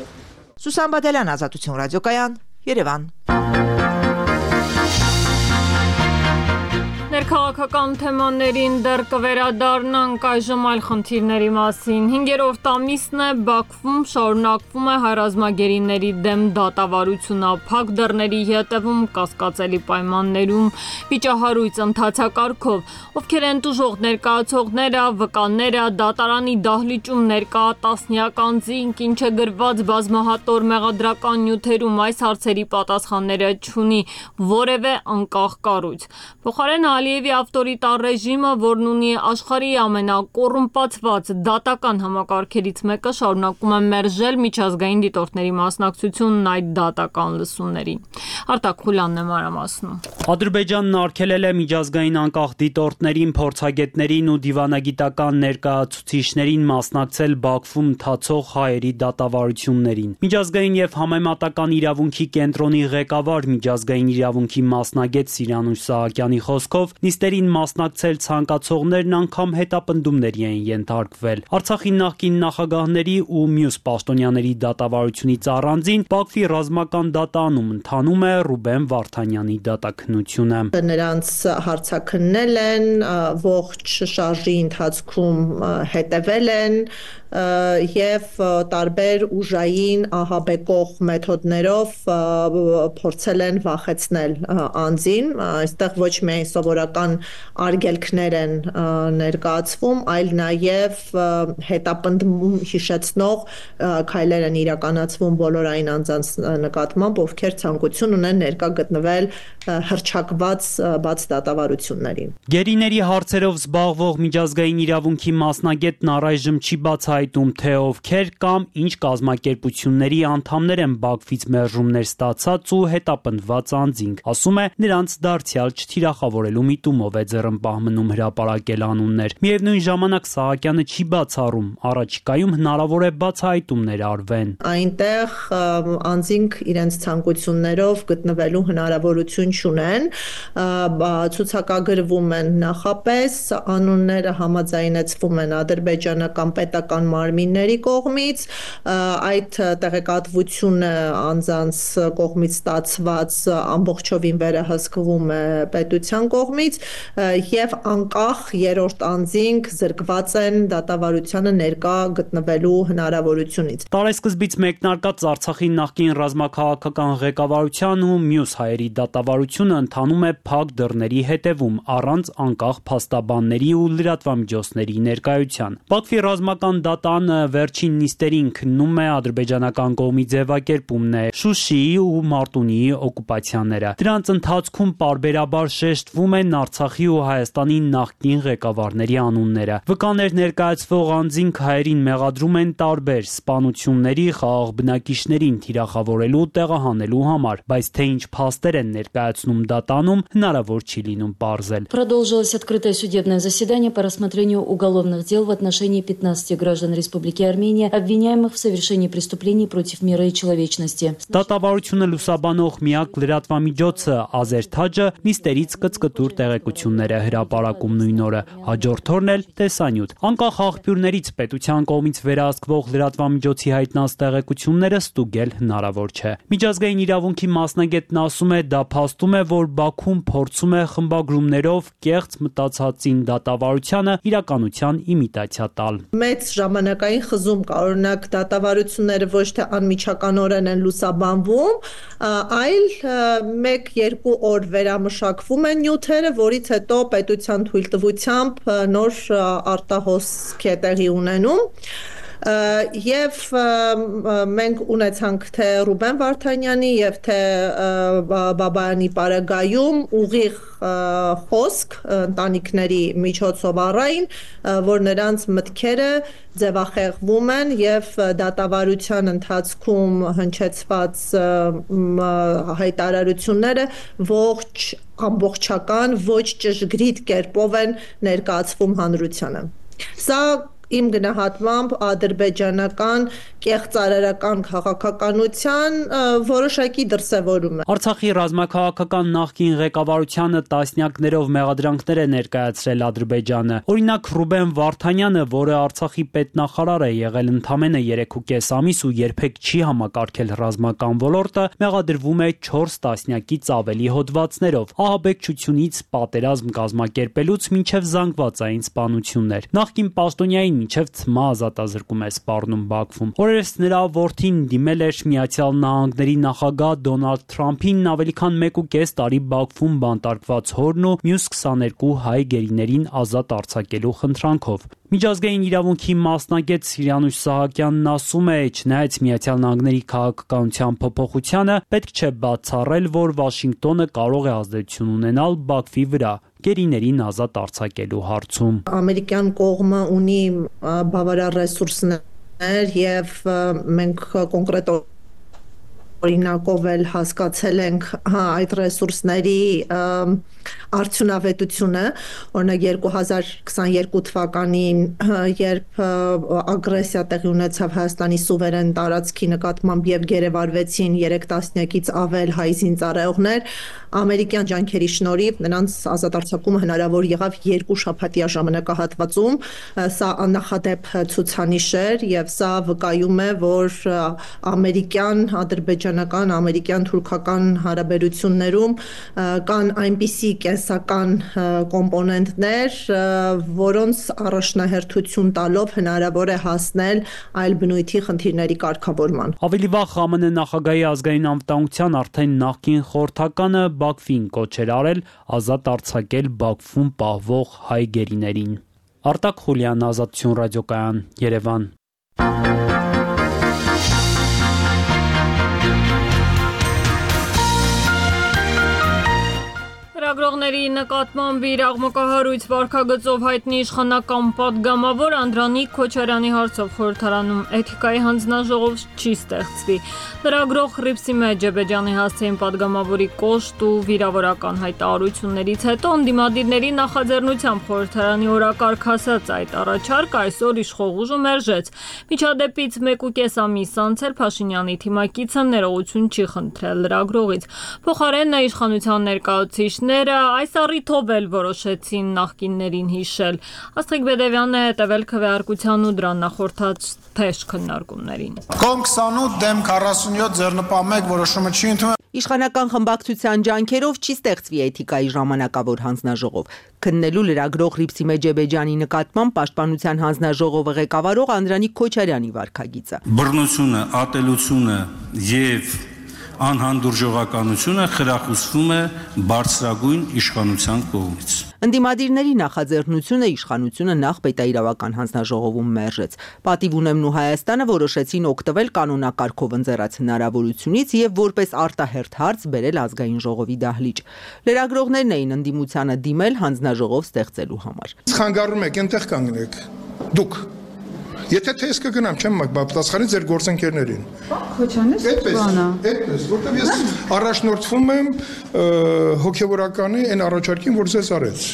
Սուսան Բադալյան, Ազատություն ռադիոկայան, Երևան։ Ներքաղաքական թեմաներին դեռ կվերադառնանք այժմ այլ խնդիրների մասին։ Հինգերորդ ամիսն է Բաքվում շարունակվում է հայրազմագերիների դեմ դատավարությունը, փակ դռների ետևում կասկածելի պայմաններում վիճահարույց ընթացակարգով, ովքեր են տուժող ներկայացողները, վկաները, դատարանի դահլիճում ներկա տասնյակ անձինք, ինչ է գրված բազմահատոր մեղադրական նյութերում, այս հարցերի պատասխանները չունի որևէ անկախ կառույց։ Փոխարեն Ալիևի Ալիևի ավտորիտար ռեժիմը, որն ունի աշխարհի ամենակոռումպացված դատական համակարգերից մեկը, շարունակում է մերժել միջազգային դիտորդների մասնակցությունն այդ դատական լսումներին։ Արտակ Խուլյանն է մանրամասնում։ Ադրբեջանն արգելել է միջազգային անկախ դիտորդներին, փորձագետներին ու դիվանագիտական ներկայացուցիչներին մասնակցել Բաքվում ընթացող հայերի դատավարություններին։ Միջազգային եւ համեմատական իրավունքի կենտրոնի ղեկավար, միջազգային իրավունքի մասնագետ Սիրանուշ Սահակյանի խոսքով, նիստերին մասնակցել ցանկացողներն անգամ հետապնդումների են ենթարկվել։ Արցախի նախկին նախագահների ու մյուս պաշտոնյաների դատավարությունից առանձին Բաքվի ռազմական դատարանում ընթանում է Ռուբեն Վարդանյանի դատաքննությունը։ Նրանց հարցաքննել են, ողջ շարժի ընթացքում հետևել են եւ տարբեր ուժային ահաբեկող մեթոդներով փորձել են վախեցնել անձին, այստեղ ոչ միայն սովորական արգելքներ են ներկայացվում, այլ նաեւ հետապնդում հիշեցնող քայլեր են իրականացվում բոլորային անձանց նկատմամբ, ովքեր ցանկություն ունեն ներկա գտնվել հռչակված բաց դատավարություններին։ Գերիների հարցերով զբաղվող միջազգային իրավունքի մասնագետն առայժմ չի բացահայտում, թե ովքեր կամ ինչ կազմակերպությունների անդամներ են Բաքվից մերժումներ ստացած ու հետապնդված անձինք։ Ասում է, նրանց դարձյալ չթիրախավորելու միտումով է ձեռնպահ մնում հրապարակել անուններ։ Միևնույն ժամանակ Սահակյանը չի բացառում, առաջիկայում հնարավոր է բացահայտումներ արվեն։ Այնտեղ անձինք իրենց ցանկություններով գտնվելու հնարավորություն չունեն, ցուցակագրվում են նախապես, անունները համաձայնեցվում են ադրբեջանական պետական մարմինների կողմից, այդ տեղեկատվությունը անձանց կողմից ստացված ամբողջովին վերահսկվում է պետության կողմից եւ անկախ երրորդ անձինք զրկված են դատավարությանը ներկա գտնվելու հնարավորությունից։ Տարեսկզբից մեկնարկած Արցախի նախկին ռազմաքաղաքական ղեկավարության ու մյուս հայերի դատավարությունը ընթանում է փակ դռների հետևում, առանց անկախ փաստաբանների ու լրատվամիջոցների ներկայության։ Բաքվի ռազմական դատանը վերջին նիստերին քննում է ադրբեջանական կողմի ձևակերպումն է Շուշիի ու Մարտունիի օկուպացիաները։ Դրանց ընթացքում պարբերաբար շեշտվում են Արցախի ու Հայաստանի նախկին ղեկավարների անունները։ Վկաներ ներկայացվող անձինք հայերին մեղադրում են տարբեր սպանությունների, խաղաղ բնակիչներին թիրախավորելու, տեղահանելու համար, բայց թե ինչ փաստեր են ներկայացնում դատանում, հնարավոր չի լինում պարզել։ Продолжилось открытое судебное заседание по рассмотрению уголовных дел в отношении пятнадцати граждан Республики Армения, обвиняемых в совершении преступлений против мира и человечности։ Դատավարությունը լուսաբանող միակ լրատվամիջոցը Ազերթաջը նիստերից կծկտուր տեղեկություններ է հրապարակում նույն օրը, հաջորդ օրն էլ տեսանյութ։ Անկախ աղբյուրներից պետության կողմից վերահսկվող լրատվամիջոցի հայտնած տեղեկությունները ստուգել հնարավոր չէ։ Միջազգային իրավունքի մասնագետն ասում է, դա փաստում է, որ Բաքուն փորձում է խմբագրումներով կեղծ մտածածին դատավարությանը իրականության իմիտացիա տալ։ Մեծ ժամանակային խզում կա, օրինակ դատավարությունները ոչ թե անմիջականորեն են լուսաբանվում, այլ մեկ-երկու օր վերամշակվում են նյութերը, որից հետո պետության թույլտվությամբ նոր արտահոսք է տեղի ունենում։ Եվ մենք ունեցանք թե Ռուբեն Վարդանյանի եւ թե Բաբայանի պարագայում ուղիղ խոսք ընտանիքների միջոցով առային, որ նրանց մտքերը ձևախեղվում են եւ դատավարության ընթացքում հնչեցված հայտարարությունները ողջ ամբողջական ոչ ճշգրիտ կերպով են ներկայացվում հանրությանը։ Սա իմ գնահատմամբ ադրբեջանական կեղծարարական քաղաքականության որոշակի դրսևորում է։ Արցախի ռազմաքաղաքական նախկին ղեկավարությանը տասնյակներով մեղադրանքներ է ներկայացրել Ադրբեջանը։ Օրինակ Ռուբեն Վարդանյանը, որը Արցախի պետնախարար է եղել ընդամենը երեքուկես ամիս ու երբեք չի համակարգել ռազմական ոլորտը, մեղադրվում է չորս տասնյակից ավելի հոդվածներով, ահաբեկչությունից պատերազմ կազմակերպելուց մինչև զանգվածային սպանություններ։ Նախկին պաշտոնյային մինչև ցմահ ազատազրկում է սպառնում Բաքվում։ Օրերս նրա որդին դիմել էր Միացյալ Նահանգների նախագահ Դոնալդ Թրամփին ավելի քան մեկ ու կես տարի Բաքվում բանտարկված հորն ու մյուս քսաներկու հայ գերիներին ազատ արձակելու խնդրանքով։ Միջազգային իրավունքի մասնագետ Սիրանուշ Սահակյանն ասում է, չնայած Միացյալ Նահանգների քաղաքականության փոփոխությանը, պետք չէ բացառել, որ Վաշինգտոնը կարող է ազդեցություն ունենալ Բաքվի վրա։ գերիներին ազատ արձակելու հարցում։ Ամերիկյան կողմը ունի բավարար ռեսուրսներ եւ մենք կոնկրետ օրինակով էլ հասկացել ենք հա, այդ ռեսուրսների արդյունավետությունը, օրինակ երկու հազար քսաներկու թվականին, երբ ագրեսիա տեղի ունեցավ Հայաստանի սուվերեն տարածքի նկատմամբ եւ գերեվարվեցին երեք տասնյակից ավել հայ զինծառայողներ, ամերիկյան ջանքերի շնորհիվ նրանց ազատ արձակումը հնարավոր եղավ երկու շաբաթյա ժամանակահատվածում, սա աննախադեպ ցուցանիշ էր եւ սա վկայում է, որ ամերիկյան ադրբեջանական ամերիկյան թուրքական հարաբերություններում կան այնպիսի կենսական կոմպոնենտներ, որոնց առաջնահերթություն տալով հնարավոր է հասնել այլ բնույթի խնդիրների կարգավորման։ Ավելի վաղ ԱՄՆ նախագահի ազգային անվտանգության արդեն նախկին խորհրդականը Բաքվին կոչ էր արել ազատ արձակել Բաքվում պահվող հայ գերիներին։ Արտակ Խուլյան, Ազատություն ռադիոկայան, Երևան։ Լրագրողների նկատմամբ իր աղմկահարույց վարքագծով հայտնի իշխանական պատգամավոր Անդրանիկ Քոչարյանի հարցով խորհրդարանում էթիկայի հանձնաժողով չի ստեղծվի։ Լրագրող Ղրիփսիմե Ջեբեջյանի հասցեին պատգամավորի կոշտ ու վիրավորական հայտարարություններից հետո ընդդիմադիրների նախաձեռնությամբ խորհրդարանի օրակարգ հասած այդ առաջարկը այսօր իշխող ուժը մերժեց։ Միջադեպից մեկ ու կես ամիս անց էլ Փաշինյանի թիմակիցը ներողություն չի խնդրել լրագրողից։ Փոխարենն իշխանության ներկայացուցիչները այս առիթով էլ որոշեցին նախկիններին հիշել։ Աստղիկ Բեդևյանն է հետևել քվեարկության ու դրան նախորդած թեժ քննարկումներին։ Կողմ քսանութ դեմ քառասունյոթ ձեռնպահ որոշումը չի ընդունվել։ Իշխանական խմբակցության ջանքերով չի ստեղծվի էթիկայի ժամանակավոր հանձնաժողով։ Քննելու լրագրող Ղրիփսիմե Ջեբեջյանի նկատմամբ պաշտպանության հանձնաժողովը ղեկավարող Անդրանիկ Քոչարյանի վարքագիծը։ Բռնությունը, ատելությունը եւ անհանդուրժողականությունը խրախուսվում է բարձրագույն իշխանության կողմից։ Ընդդիմադիրների նախաձեռնությունը իշխանությունը նախ պետաիրավական հանձնաժողովում մերժեց։ Պատիվ ունեմն ու Հայաստանը որոշեցին օգտվել կանոնակարգով ընձեռած հնարավորությունից եւ որպես արտահերթ հարց բերել ազգային ժողովի դահլիճ։ Լրագրողներն էին ընդդիմությանը դիմել հանձնաժողով ստեղծելու համար։ Խանգարում եք, այնտեղ կանգնեք։ Դուք Եթե թե ես կգնամ, չեմ պատասխանի ձեր գործընկերներին։ Քոչանես բանա։ Այդպես, որտեղ ես առաջնորդվում եմ հոգևորականի այն առաջարկին, որ ձեզ արեց։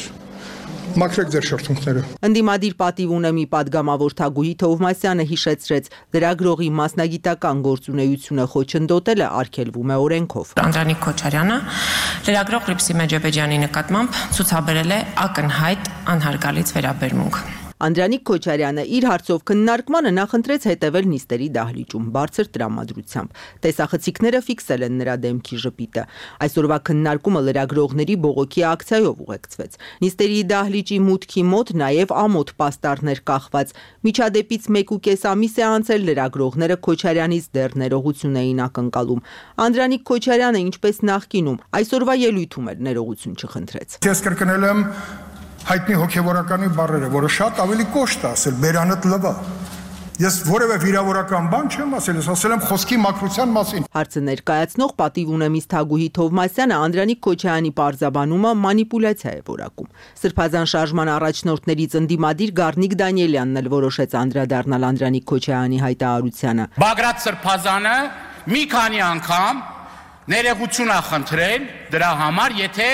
Մաքրեք ձեր շրթունքները։ Ընդդիմադիր պատիվ ունեմի падգամավոր Թագուհի Թովմասյանը հիշեցրեց, լրագրողի մասնագիտական գործունեությունը խոչընդոտելը արգելվում է օրենքով։ Անդրանիկ Քոչարյանը լրագրող Ղրիփսիմե Ջեբեջյանի նկատմամբ ցուցաբերել է ակնհայտ անհարգալից վերաբերմունք։ Անդրանիկ Քոչարյանը իր հարցով քննարկմանը նախընտրեց հետևել նիստերի դահլիճում բարձր տրամադրությամբ։ Տեսախցիկները ֆիքսել են նրա դեմքի ժպիտը։ Այսօրվա քննարկումը լրագրողների բողոքի ակցիայով ուղեկցվեց։ Նիստերի դահլիճի մուտքի մոտ նաև ամոթ պաստառներ կախված։ Միջադեպից մեկ ու կես ամիս է անցել, լրագրողները Քոչարյանից դեռ ներողություն էին ակնկալում։ Անդրանիկ Քոչարյանը, ինչպես նախկինում, այսօրվա ելույթում էլ ներողություն չխնդրեց։ Ես կրկնել եմ հայտնի հոգևորականի բառերը, որը շատ ավելի կոշտ է ասել, բերանդ լվա։ Ես որևէ վիրավորական բան չեմ ասել, ես ասել եմ խոսքի մաքրության մասին։ Հարցը ներկայացնող պատիվ ունեմից Թագուհի Թովմասյանը Անդրանիկ Քոչարյանի պարզաբանումը մանիպուլյացիա է որակում։ Սրբազան շարժման առաջնորդներից ընդդիմադիր Գառնիկ Դանիելյանն էլ որոշեց անդրադառնալ Անդրանիկ Քոչարյանի հայտարարությանը։ Բագրատ Սրբազանը մի քանի անգամ ներողություն է խնդրել դրա համար, եթե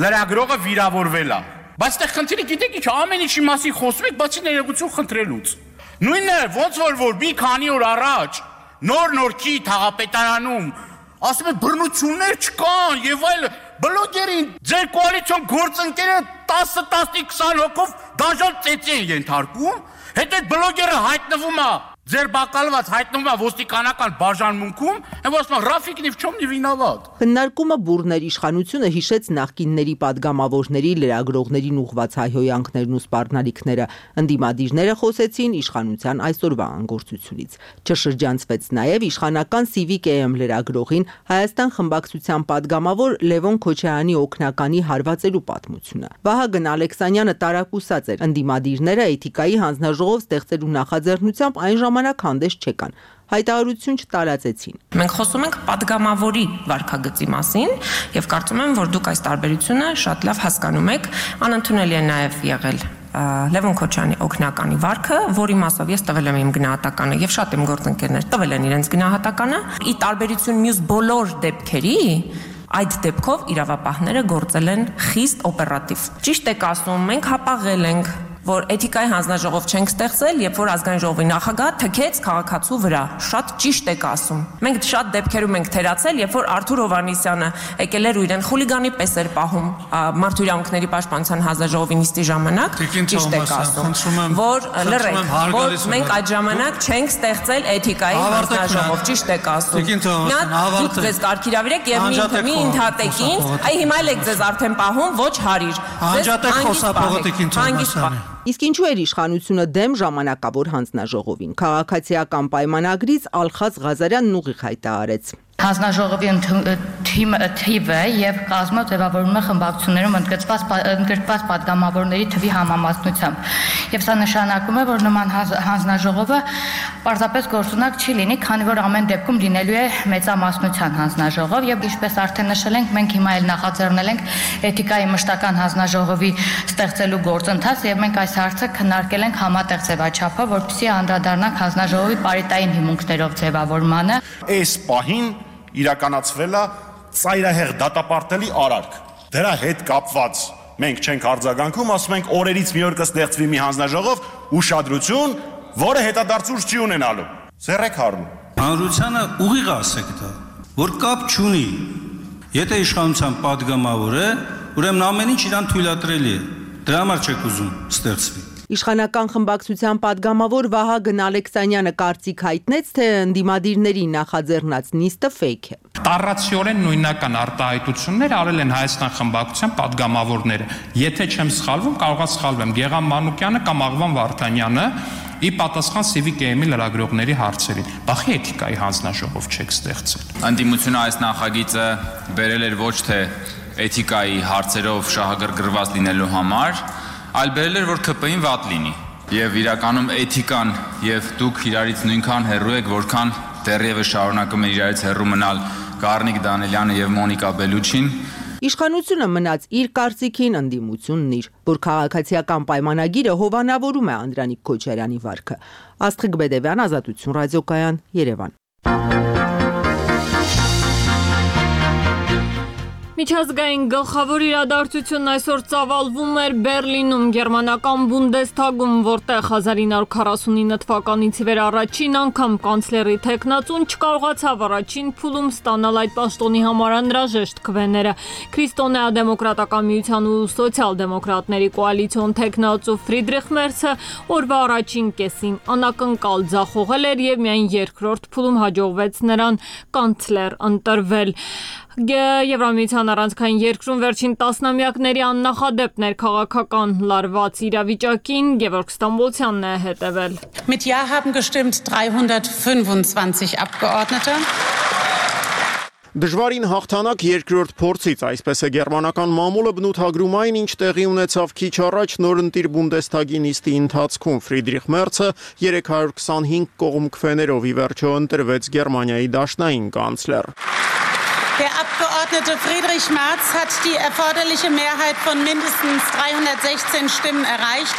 լրագրողը վիրավորվել է։ Բայց այդտեղ խնդիրը գիտեք ինչ, ամեն ինչի մասին խոսում եք, բացի ներողություն խնդրելուց։ Նույնն է, ոնց որ որ մի քանի օր առաջ նոր նորքի թաղապետարանում ասում են բռնություններ չկան եւ այլ, բլոգերին ձեր կոալիցիոն գործընկերը տասը տասնի քսան հոգով դաժան ծեծի են ենթարկում, հետո այդ բլոգերը հայտնվում է ձեր բակալված հայտնվում է ոստիկանական բաժանմունքում, եւ ասում են Ռաֆիկ նիվ չոմ նի վինավատ։ Քննարկումը բուրներ իշխանությունը հիշեց նախկինների падգամավորների լրագրողներին ուղված հայհոյանքներն ու սպառնալիքները։ Ընդդիմադիրները խոսեցին իշխանության այսօրվա անգործությունից։ Չշրջանցվեց նաեւ իշխանական Civic A M լրագրողին Հայաստան խմբակցության падգամավոր Լևոն Քոչարյանի օգնականի հարվածելու պատմությունը։ Վահագն Ալեքսանյանը տարակուսած էր։ Ընդդիմադիրները էթիկայի հանձնաժողով ստեղծելու նախաձեռնությամբ այն ժամանակ հանդես չեկան։ հայտարարություն չտարածեցին։ Մենք խոսում ենք падգամավորի վարքագծի մասին եւ կարծում եմ, որ դուք այս տարբերությունը շատ լավ հասկանում եք, անընդունելի է նաեւ եղել Լևոն Քոչյանի օգնականի վարքը, որի մասով ես տվել եմ իմ գնահատականը եւ շատ իմ գործընկերներ տվել են իրենց գնահատականը, ի տարբերություն մյուս բոլոր դեպքերի, այդ դեպքով իրավապահները գործել են խիստ օպերատիվ։ Ճիշտ եք ասում, մենք հապաղել ենք, որ էթիկայի հանձնաժողով չենք ստեղծել, երբ որ ազգային ժողովի նախագահ թքեց քաղաքացու վրա։ Շատ ճիշտ եք ասում։ Մենք շատ դեպքերում ենք թերացել, երբ որ Արթուր Հովհաննիսյանը եկել էր ու իրեն խուլիգանի պես էր պահում Մարդու իրավունքների պաշտպանության հանձնաժողովի նիստի ժամանակ։ Ճիշտ եք ասում, որ լրեք, որ մենք այդ ժամանակ չենք ստեղծել էթիկայի հանձնաժողով։ Ճիշտ եք ասում։ Դուք ձեզ կարգիրավիրեք եւ մի ընդհատեք ինձ, այ հիմա էլ եք ձեզ արդեն պահում, ոչ հարիր։ Անջատեք խոսափողոտիկին Թոմասյանին։ Իսկ ինչու էր իշխանությունը դեմ ժամանակավոր հանձնաժողովին։ Քաղաքացիական պայմանագրից Ալխազ Ղազարյանն ուղիղ հայտարարեց։ Հանձնաժողովի թիվը եւ կազմը ձևավորվում է խմբակցություններում ընդգրկված ընդգրկված падգամավորների թվի համամասնությամբ։ Եվ սա նշանակում է, որ նման հանձնաժողովը պարզապես գործունակ չի լինի, քանի որ ամեն դեպքում լինելու է մեծամասնության հանձնաժողով եւ ինչպես արդեն նշել ենք, մենք հիմա էլ նախաձեռնել ենք էթիկայի մշտական հանձնաժողովի ստեղծելու գործընթաց եւ մենք այս հարցը քննարկել ենք համատեղ ձևաչափով, որպեսզի անդրադառնանք հանձնաժողովի պարիտային հիմունքներով ձևավորմանը։ Այս պահին իրականացվել է ծայրահեղ դատապարտելի արարք։ Դրա հետ կապված մենք չենք արձագանքում, ասում ենք օրերից մի օր կստեղծվի մի հանձնաժողով, ուշադրություն, որը հետադարձուց չի ունենալու։ Սերեք հարում։ Հանրությանը ուղիղ ասեք դա, որ կապ չունի։ Եթե իշխանության падգամավոր է, ուրեմն ամեն ինչ իրան թույլատրելի է։ Դրա համար չեք ուզում ստեղծվի։ Իշխանական խմբակցության падգամավոր Վահագն Ալեքսանյանը կարծիք հայտնեց, թե ընդդիմադիրների նախաձեռնած նիստը ֆեյք է։ Տառացիորեն նույնական արտահայտություններ արել են Հայաստան խմբակցության падգամավորները։ Եթե չեմ սխալվում, կարող եմ սխալվեմ, Գեգամ Մանուկյանը կամ Աղվան Վարդանյանը ի պատասխան Civic Game-ի լրագրողների հարցերին։ Բախի էթիկայի հանձնաժողով չեք ստեղծել։ Ընդդիմությունը այս նախագիծը բերել էր ոչ թե էթիկայի հարցերով շահագրգռված լինելու համար, այլ բերել էր, որ K P-ին վատ լինի։ Եվ իրականում էթիկան եւ դուք իրարից նույնքան հեռու եք, որքան դեռևս շարունակում են իրարից հեռու մնալ Գառնիկ Դանելյանը եւ Մոնիկա Բելուչին։ Իշխանությունը մնաց իր կարծիքին, ընդդիմությունն իր, որ քաղաքացիական պայմանագիրը հովանավորում է Անդրանիկ Քոչարյանի վարքը։ Աստղիկ Բեդևյան, Ազատություն ռադիոկայան, Երևան։ Միջազգային գլխավոր իրադարձությունն այսօր ծավալվում էր Բերլինում, գերմանական Բունդեսթագում, որտեղ հազար ինը հարյուր քառասունինը թվականից ի վեր առաջին անգամ կանցլերի թեկնածուն չկարողացավ առաջին փուլում ստանալ այդ պաշտոնի համար անհրաժեշտ քվեները։ Քրիստոնեա-դեմոկրատական միության ու սոցիալ-դեմոկրատների կոալիցիոն թեկնածու Ֆրիդրիխ Մերցը օրվա առաջին կեսին անակնկալ ձախողել էր եւ միայն երկրորդ փուլում հաջողվեց նրան կանցլեր ընտրվել։ Եվրամիության առանցքային երկրում վերջին տասնամյակների աննախադեպ ներքաղաքական լարված իրավիճակին Գևորգ Ստամբոլցյանն է հետևել։ Mit Ja haben gestimmt dreihundertfünfundzwanzig Abgeordnete. Դժվարին հաղթանակ երկրորդ փորձից, այսպես է գերմանական մամուլը բնութագրում այն, ինչ տեղի ունեցավ քիչ առաջ նորընտիր Բունդեսթագի նիստի ընթացքում։ Ֆրիդրիխ Մերցը երեք հարյուր քսանհինգ կողմ քվեներով ի վերջո ընտրվեց Գերմանիայի դաշնային կանցլեր։ Der Abgeordnete Friedrich Merz hat die erforderliche Mehrheit von mindestens dreihundertsechzehn Stimmen erreicht.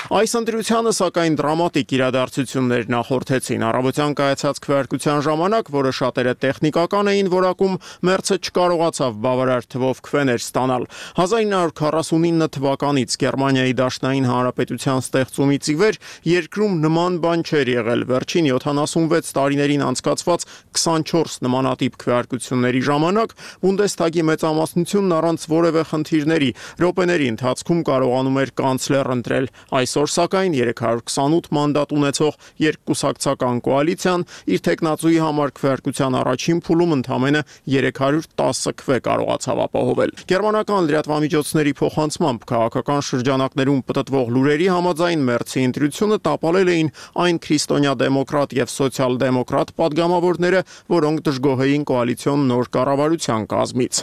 Այս ընտրությանը սակայն դրամատիկ իրադարձություններ նախորդեցին։ Առավոտյան կայացած քվեարկության ժամանակ, որը շատերը տեխնիկական էին որակում, Մերցը չկարողացավ բավարար թվով քվեներ ստանալ։ հազար ինը հարյուր քառասունինը թվականից Գերմանիայի Դաշնային Հանրապետության ստեղծումից ի վեր երկրում նման բան չէր եղել։ Վերջին յոթանասունվեց տարիներին անցկացված քսանչորս նմանատիպ քվեարկությունների ժամանակ Բունդեսթագի մեծամասնությունն առանց որևէ խնդիրների րոպեների ընթացքում կարողանում էր կանցլեր ընտրել։ Այսօր սակայն երեք հարյուր քսանութ մանդատ ունեցող երկկուսակցական կոալիցիան իր տեխնացուի համար քվեարկության առաջին փուլում ընդամենը երեք հարյուր տասը քվե կարողացավ ապահովել։ Գերմանական լրատվամիջոցների փոխանցմամբ քաղաքական շրջանակներում պտտվող լուրերի համաձայն Մերցի ընտրությունը տապալել էին այն քրիստոնյա-դեմոկրատ եւ սոցիալ-դեմոկրատ падգամավորները, որոնք դժգոհ էին կոալիցիոն նոր կառավարության կազմից։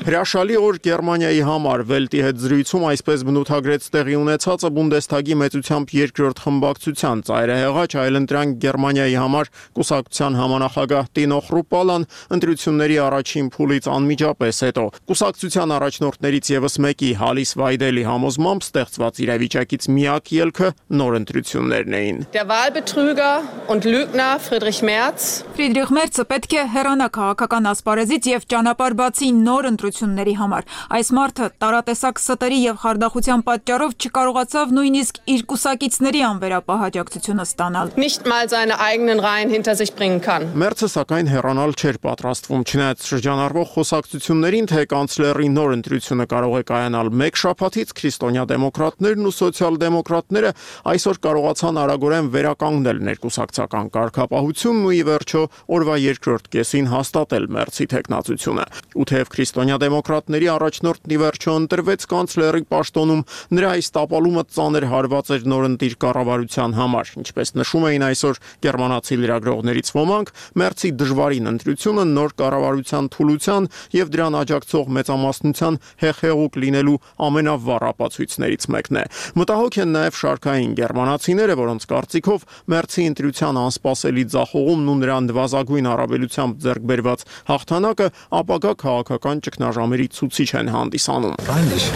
Հրաշալի օր Գերմանիայի համար Վելտի հետ զրույցում այսպես բնութ բնութագրեց տեղի ունեցածը Բունդեսթագի մեծությամբ երկրորդ խմբակցության ծայրահեղաչ այլընտրանք Գերմանիայի համար կուսակցության համանախագահ Տինո Խրուպալան ընտրությունների առաջին փուլից անմիջապես հետո։ Կուսակցության առաջնորդներից եւս մեկի Հալիս Վայդելի համոզմամբ ստեղծված իրավիճակից միակ ելքը նոր ընտրություններն էին։ Der Wahlbetrüger und Lügner Friedrich Merz Ֆրիդրիխ Մերցը պետք է հեռանա քաղաքական ասպարեզից եւ ճանապարհ բացի նոր ընտրությունների համար։ Այս մարդը տարատեսակ ստերի եւ խարդախության պատճառով չկարողացավ նույնիսկ իր կուսակիցների անվերապահ աջակցությունը ստանալ։ Nicht mal seine eigenen Reihen hinter sich bringen kann. Մերցը սակայն հեռանալ չէր պատրաստվում, չնայած շրջանառվող խոսակցություններին, թե կանցլերի նոր ընտրությունը կարող է կայանալ մեկ շաբաթից, քրիստոնյա դեմոկրատներն ու սոցիալ-դեմոկրատները այսօր կարողացան արագորեն վերականգնել ներկուսակցական կարգապահությունն ու ի վերջո օրվա երկրորդ կեսին հաստատել Մերցի թեկնածությունը։ Ու թեև քրիստոնյա դեմոկրատների առաջնորդն ի վերջո ընտրվեց կանցլերի պաշտոնում, նրա այս տապալումը ծանր հարված էր նորընտիր կառավարության համար, ինչպես նշում էին այսօր գերմանացի լրագրողներից ոմանք, Մերցի դժվարին ընտրությունը նոր կառավարության թուլության եւ դրան աջակցող մեծամասնության հեղեղուկ լինելու ամենավառ ապացույցներից մեկն է։ Մտահոգ են նաեւ շարքային գերմանացիները, որոնց կարծիքով Մերցի ընտրության անսպասելի ձախողումն ու նրան նվազագույն առավելությամբ ձեռք բերված հաղթանակը ապագա քաղաքական ճգնաժամերի ցուցիչ են հանդիսանում։ Peinlich.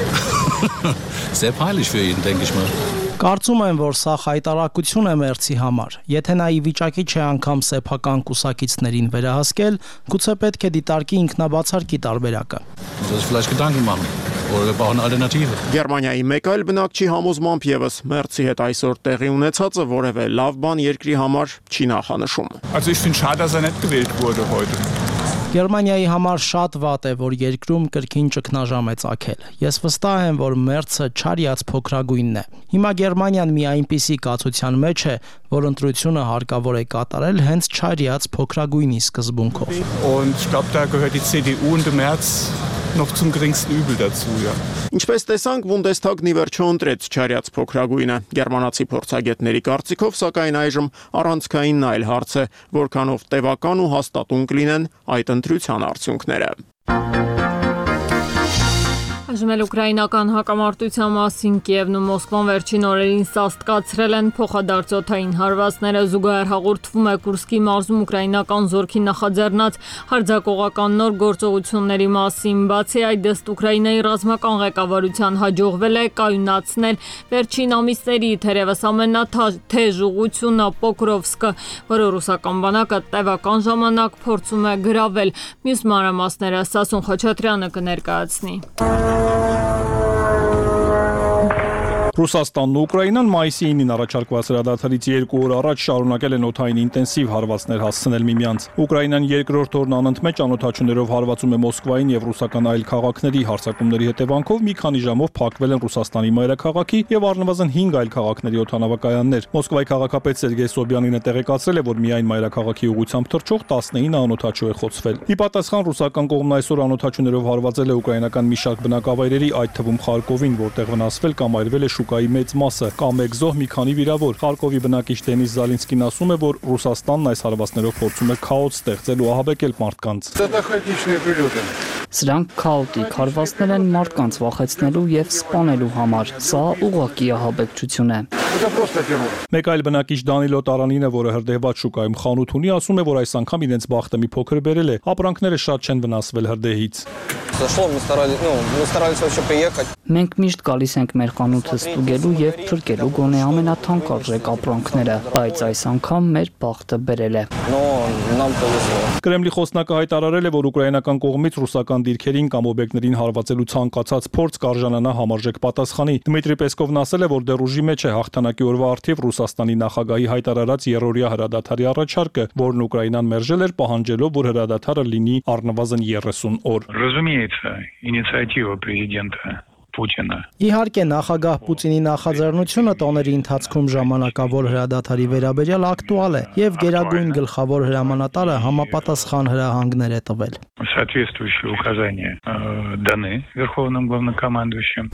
Sehr peinlich für ihn, denke ich mal. Կարծում եմ, որ սա խայտարակություն է Մերցի համար։ Եթե նա ի վիճակի չէ անգամ սեփական կուսակիցներին վերահասկել, գուցե պետք է դիտարկի ինքնաբացարկի տարբերակը։ Das vielleicht Gedanken machen. Oder wir brauchen Alternative. Գերմանիայի մեկ այլ բնակչի համոզմամբ եւս Մերցի հետ այսօր տեղի ունեցածը որևէ լավ բան երկրի համար չի նախանշում։ Also ich finde schade, dass er nicht gewählt wurde heute. Գերմանիայի համար շատ վատ է, որ երկրում կրկին ճգնաժամ է ծագել։ Ես վստահ եմ, որ Մերցը չարիած փոքրագույնն է։ Հիմա Գերմանիան մի այնպիսի կացության մեջ է, որ ընտրությունը հարկավոր է կատարել հենց չարիած փոքրագույնի սկզբունքով։ Und ich glaube, da gehört die C D U und der Merz noch zum geringsten Übel dazu, ja. Ինչպես տեսանք, Բունդեսթագն ի վերջո ընտրեց չարիած փոքրագույնը։ Գերմանացի փորձագետների կարծիքով, սակայն այժմ առանցքային այլ հարց է, որքանով տևական ու հաստատուն կլինեն այդ ընտրության արդյունքները։ Այժմ էլ ուկրաինական հակամարտության մասին Կիևն ու Մոսկվան վերջին օրերին սաստկացրել են փոխադարձօդային հարվածները, զուգահեռ հաղորդվում է Կուրսկի մարզում ուկրաինական զորքի նախաձեռնած հարձակողական նոր գործողությունների մասին։ Բացի այդ, ըստ Ուկրաինայի ռազմական ղեկավարության հաջողվել է կայունացնել վերջին ամիսների թերևս ամենաթեժ ուղղությունը Պոկրովսկը, որը ռուսական բանակը տևական ժամանակ փորձում է գրավել։ Մյուս մանրամասները Սասուն Խաչատրյանը կներկայացնի։ Ռուսաստանն ու Ուկրաինան մայիսի ինին առաջարկված հրադադարից երկու օր առաջ շարունակել են օդային ինտենսիվ հարվածներ հասցնել միմյանց։ Ուկրաինան երկրորդ օրն անընդմեջ անօդաչուներով հարվածում է Մոսկվային եւ ռուսական այլ քաղաքների հարձակումների հետևանքով մի քանի ժամով փակվել են Ռուսաստանի մայրաքաղաքի եւ առնվազն հինգ այլ քաղաքների օդանավակայաններ։ Մոսկվայի քաղաքապետ Սերգեյ Սոբյանինը տեղեկացրել է, որ միայն մայրաքաղաքի ուղղությամբ թռչող տասնինը անօդաչու է խոցվել։ Ի պատասխան ռուսական կողմն այսօր անօդաչուներով հարվածել է ուկրաինական մի շարք բնակավայրերի, այդ թվում Խարկովին, որտեղ վնասվել կամ այրվել է շուկայի մեծ մասը, կամ մեկ զոհ, մի քանի վիրավոր։ Խարկովի բնակիչ Դենիս Զալինսկին ասում է, որ Ռուսաստանն այս հարվածներով փորձում է քաոս ստեղծել ու ահաբեկել մարդկանց։ Սրանք քաոտիկ հարվածներ են մարդկանց վախեցնելու եւ սպանելու համար։ Սա ուղղակի ահաբեկչություն է։ Մեկ այլ բնակիչ Դանիլո Տարանինը, որը հրդեհված շուկայում խանութ ունի, ասում է, որ այս անգամ իրենց բախտը մի փոքր բերել է։ Ապրանքները շատ չեն վնասվել հրդեհից։ Մենք միշտ գալիս ենք մեր խանութը ստուգելու եւ փրկելու գոնե ամենաթանկարժեք ապրանքները, բայց այս անգամ մեր բախտը բերել է։ Կրեմլի խոսնակը հայտարարել է, որ ուկրաինական կողմից ռուսական դիրքերին կամ օբյեկտներին հարվածելու ցանկացած փորձ կարժանանա համարժեք պատասխանի։ Դմիտրի Պեսկովն ասել է, որ դեռ ուժի մեջ է հաղթանակի օրվա առթիվ Ռուսաստանի նախագահի հայտարարած երրորդյա հրադադարի առաջարկը, որն Ուկրաինան մերժել էր, պահանջելով, որ հրադադարը լինի առնվազն երեսուն օր։ Разумеется, инициатива президента Պուտինը։ Իհարկե, նախագահ Պուտինի նախաձեռնությունը տոների ընթացքում ժամանակավոր հրադադարի վերաբերյալ ակտուալ է եւ գերագույն գլխավոր հրամանատարը համապատասխան հրահանգներ է տվել։ Соответствующие указания даны Верховным главнокомандующим.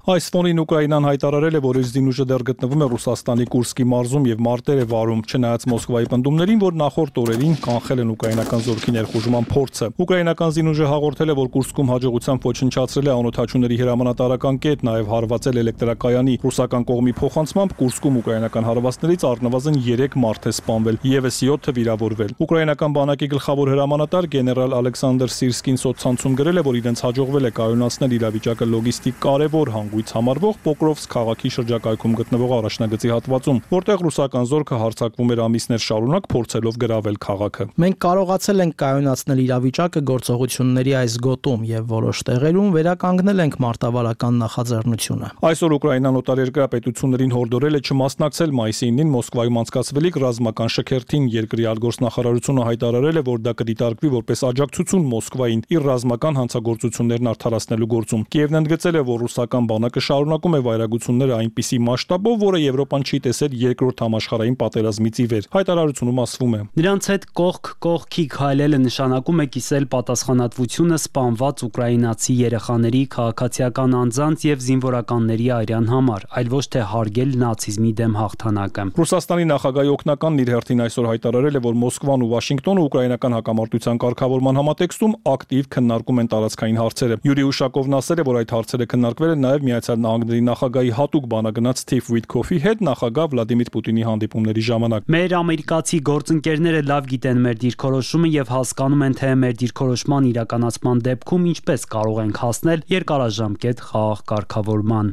Այս ֆոնին Ուկրաինան հայտարարել է, որ իր զինուժը դեռ գտնվում է Ռուսաստանի Կուրսկի մարզում եւ մարտեր է վարում, չնայած Մոսկվայի պնդումներին, որ նախորդ օրերին կանխել են ուկրաինական զորքի ներխուժման փորձը։ Ուկրաինական զինուժը հաղորդել է, որ Կուրսկում հաջողությամբ ոչնչացրել է անօթաչուների հրամանատարական կետ, նաեւ հարվածել էլեկտրակայանի։ Ռուսական կողմի փոխանցմամբ Կուրսկում ուկրաինական հարվածներից առնվազն երեք մարդ է սպանվել, եւս յոթը վիրավորվել։ Ուկրաինական բանակի գլխավոր հրամանատար գեներալ Ալեքսանդր Սիրսկին սոցցանցում գրել է, որ իրենց հաջողվել է կայունացնել իրավիճակը լոգիստիկ կարևոր հանգույց համարվող Պոկրովսկ քաղաքի շրջակայքում գտնվող առաջնագծի հատվածում, որտեղ ռուսական զորքը հարձակվում էր ամիսներ շարունակ, փորձելով գրավել քաղաքը։ Մենք կարողացել ենք կայունացնել իրավիճակը գործողությունների այս գոտում եւ որոշ տեղերում վերականգնել ենք մարտավարական նախաձեռնությունը։ Այսօր Ուկրաինան օտարերկրյա պետություններին հորդորել է չմասնակցել մայիսի ինին Մոսկվայում անցկացվելիք ռազմական շքերթին։ Երկրի արտգործնախարարությունը հայտարարել է, որ դա կդիտարկվի որպես աջակցություն Մոսկվային իր ռազմական հանցագործություններն արդարացնելու գործում։ Կիևն ընդգծել է, որ ռուսական բանակը շարունակում է վայրագությունները այնպիսի մասշտաբով, որը Եվրոպան չի տեսել երկրորդ համաշխարհային պատերազմից ի վեր։ Հայտարարությունում ասվում է. Նրանց հետ կողք կողքի քայլելը նշանակում է կիսել պատասխանատվությունը սպանված ուկրաինացի երեխաների, քաղաքացիական անձանց եւ զինվորականների արյան համար, այլ ոչ թե հարգել նացիզմի դեմ հաղթանակը։ Ռուսաստանի նախագահի օգնականն իր հերթին այսօր հայտարարել է, որ Մոսկվան ու Վաշինգտոնը ուկրաինական հակամարտության կարգավորման համատեքստում ակտիվ քննարկում են տարածքային հարցերը։ Յուրի Ուշակովն ասել է, որ այդ հարցերը քննարկվել են նաև Միացյալ Նահանգների նախագահի հատուկ բանագնաց Սթիվ Ուիտքոֆի հետ նախագահ Վլադիմիր Պուտինի հանդիպումների ժամանակ։ Մեր ամերիկացի գործընկերները լավ գիտեն մեր դիրքորոշումը եւ հասկանում են, թե մեր դիրքորոշման իրականացման դեպքում ինչպես կարող ենք հասնել երկարաժամկետ խաղաղ կարգավորման։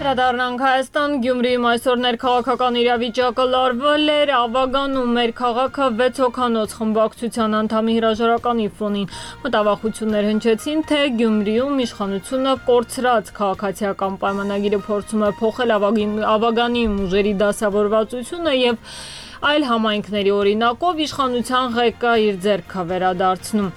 Հրադառնանք Հայաստան, Գյումրիում այսօր ներքաղաքական իրավիճակը լարվել էր, ավագանում մեր քաղաքը վեց հոգանոց խմբակցության անդամի հրաժարականի ֆոնին։ Մտավախություններ հնչեցին, թե Գյումրիում իշխանությունը կորցրած քաղաքացիական պայմանագիրը փորձում է փոխել ավագանի ուժերի դասավորվածությունը եւ այլ համայնքների օրինակով իշխանության ղեկը իր ձեռքը վերադարձնում։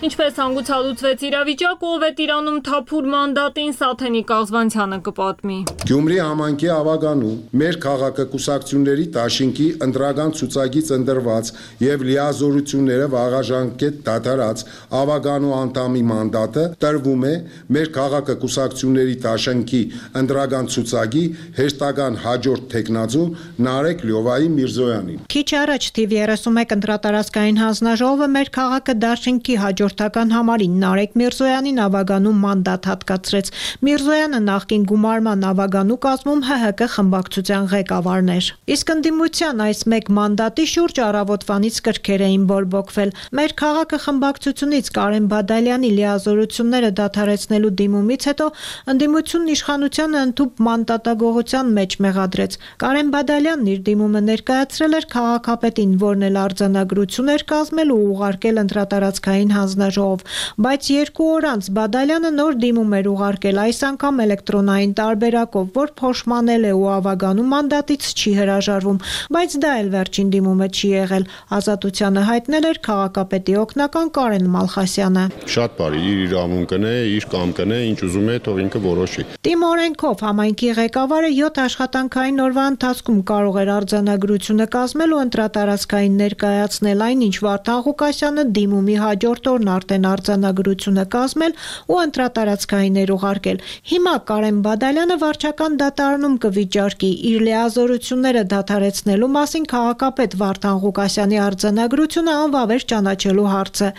Ինչպես հանգուցալուծվեց իրավիճակը, ով է տիրանում թափուր մանդատին, Սաթենի Կաղզվանցյանը կպատմի։ Գյումրի համայնքի ավագանում մեր քաղաքը կուսակցությունների դաշինքի ընտրական ցուցակից ընտրված եւ լիազորությունները վաղաժամկետ դադարած ավագանու անդամի մանդատը տրվում է մեր քաղաքը կուսակցությունների դաշինքի ընտրական ցուցակի հեշտական հաջորդ տեխնազու Նարեկ Լյովայի Միրզոյանին։ Քիչ առաջ թիվ երեսունմեկ ընտրատարածքային հանձնաժողովը մեր քաղաքը դաշինքի հաջորդական համարին Նարեկ Միրզոյանին ավագանու մանդատ հատկացրեց։ Միրզոյանը նախկին գումարման ավագանու կազմում Հ Հ Կ խմբակցության ղեկավարն էր։ Իսկ ընդդիմության այս մեկ մանդատի շուրջ առավոտվանից կրքեր էին բորբոքվել։ Մեր քաղաքը խմբակցությունից Կարեն Բադալյանի լիազորությունները դադարեցնելու դիմումից հետո ընդդիմությունն իշխանությանը ընդհուպ մանդատագողության մեջ մեղադրեց։ Կարեն Բադալյանն իր դիմումը ներկայացրել էր քաղաքապետին, որն էլ արձանագրություն էր կազմել ու ուղարկել ընտրատարածքային հանձնաժողով, բայց երկու օր անց Բադալյանը նոր դիմում էր ուղարկել, այս անգամ էլեկտրոնային տարբերակով, որ փոշմանել է ու ավագանու մանդատից չի հրաժարվում, բայց դա էլ վերջին դիմումը չի եղել։ Ազատությանը հայտնել էր քաղաքապետի օգնական Կարեն Մալխասյանը։ Շատ բարի, իր իրավունքն է, իր կամքն է, ինչ ուզում է, թող ինքը որոշի։ Տիմ օրենքով համայնքի ղեկավարը յոթ աշխատանքային օրվա ընթացքում կարող էր արձանագրությունը կազմել ու ընտրատարածքային ներկայացնել, այնինչ Վարդան Ղուկասյանը դիմումի հաջորդ օրն արդեն արձանագրությունը կազմել ու ընտրատարածքային էր ուղարկել։ Հիմա Կարեն Բադալյանը վարչական դատարանում կվիճարկի իր լիազորությունները դադարեցնելու մասին քաղաքապետ Վարդան Ղուկասյանի արձանագրությունը անվավեր ճանաչելու հարցը։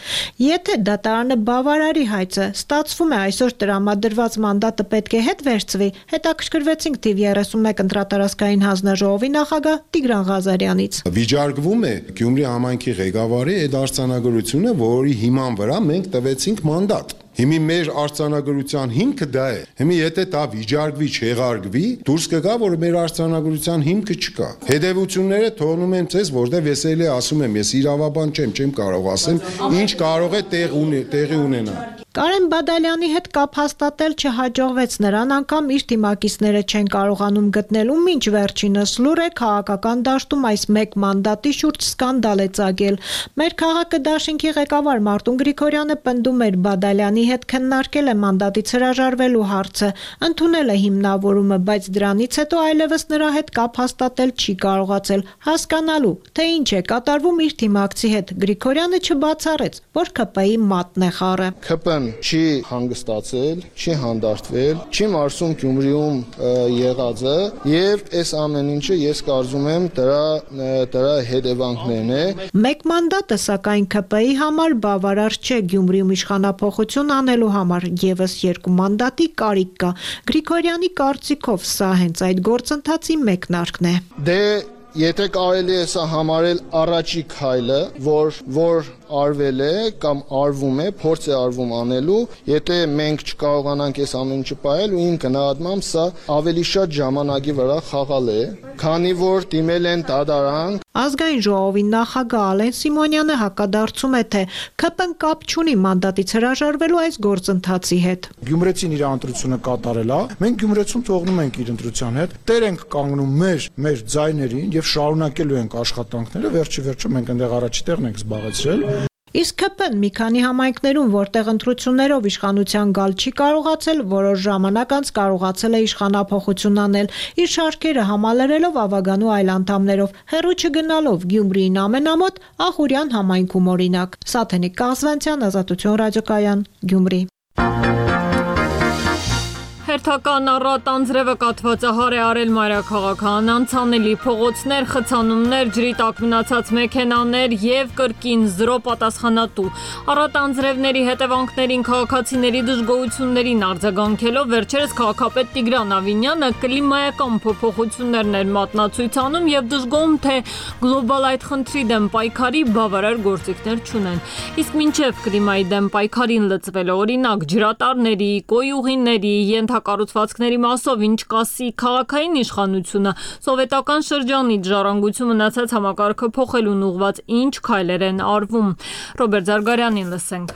Եթե դատարանը բավարարի հայցը, ստացվում է այսօր տրամադրված մանդատը պետք է հետ վերցվի, հետաքրքրվեցինք թիվ երեսունմեկ ընտրատարածքային հանձնաժողովի նախագահ Տիգրան Ղազարյանից։ Վիճարկվում է Գյումրի համայնքի ղեկավարի այդ արձանագրությունը, որի հիման վրա մենք տվեցինք մանդատ։ Հիմի մեր արձանագրության հիմքը դա է։ Հիմի եթե դա վիճարկվի, չեղարկվի, դուրս կգա, որ մեր արձանագրության հիմքը չկա։ Հետևությունները թողնում եմ ցեզ, որտեղ վեսելի ասում եմ, ես իրավաբան չեմ, չեմ կարող ասեմ, ինչ կարող է տեղ տեղի ունենալ։ Կարեն Բադալյանի հետ կապ հաստատել չհաջողվեց, նրան անգամ իր թիմակիցները չեն կարողանում գտնել ու մինչ վերջինս լուր է քաղաքական դաշտում այս մեկ մանդատի շուրջ սկանդալ է ծագել։ Մեր քաղաքը դաշինքի ղեկավար Մարտուն Գրիգորյանը պնդում էր Բադալյանի հետ քննարկել է մանդատից հրաժարվելու հարցը, ընդունել է հիմնավորումը, բայց դրանից հետո այլևս նրա հետ կապ հաստատել չի կարողացել, հասկանալու, թե ինչ է կատարվում իր թիմակցի հետ։ Գրիգորյանը չբացառեց, որ ՔՊ-ի մատն է խառը։ ՔՊ-ն չի հանգստացել, չի հանդարտվել, չի մարսում Գյումրիում եղածը եւ այս ամեն ինչը ես կարծում եմ դրա դրա հետևանքներն է։ Մեկ մանդատը սակայն ՔՊ-ի համար բավարար չէ Գյումրիում իշխանափոխություն անելու համար, եւս երկու մանդատի կարիք կա։ Գրիգորյանի կարծիքով սա հենց այդ գործընթացի մեկնարկն է։ Դե եթե կարելի է սա համարել առաջի քայլը, որ որ արվել է կամ արվում է, փորձ է արվում անելու, եթե մենք չկարողանանք այս ամեն ինչը պահել ու իմ գնահատմամբ սա ավելի շատ ժամանակի վրա խաղալ է, քանի որ դիմել են դատարան։ Ազգային ժողովի նախագահ Ալեն Սիմոնյանը հակադարձում է, թե ՔՊ-ն կապ չունի մանդատից հրաժարվելու այս գործընթացի հետ։ Գյումրեցին իր ընտրությունը կատարել է, մենք Գյումրեցում թողնում ենք իր ընտրության հետ, տեր ենք կանգնում մեր մեր ձայներին եւ շարունակելու ենք աշխատանքները, վերջի վերջը մենք այնտեղ առաջի տեղն ենք զբաղեցրել։ Իսկ ՔՊ-ն մի քանի համայնքներում, որտեղ ընտրություններով իշխանության գալ չի կարողացել, որոշ ժամանակ անց կարողացել է իշխանափոխություն անել, իր շարքերը համալրելով Ավագանու այլ անդամներով, հեռու չգնալով Գյումրիին ամենամոտ Ախուրյան համայնքում օրինակ։ Սաթենիկ Կազվանցյան, Ազատություն ռադիոկայան, Գյումրի։ Հերթական առատ անձրևը կաթվածահար է արել մայրաքաղաքն, անցանելի փողոցներ, խցանումներ, ջրի տակ մնացած մեքենաներ եւ կրկին զրո պատասխանատու։ Առատ անձրևների հետևանքներին քաղաքացիների դժգոհություններին արձագանքելով վերջերս քաղաքապետ Տիգրան Ավինյանը կլիմայական փոփոխություններն էր մատնացույց անում եւ դժգոհում, թե գլոբալ այդ խնդրի դեմ պայքարի բավարար գործիքներ չունեն։ Իսկ մինչեւ կլիմայի դեմ պայքարին լծվել է օրինակ ջրատարների, կոյուղիների, կառուցվածքների մասով ինչ կասի քաղաքային իշխանությունը, սովետական շրջանից ժառանգություն մնացած համակարգը փոխելուն ուղղված ինչ քայլեր են արվում։ Ռոբերտ Զարգարյանին լսենք։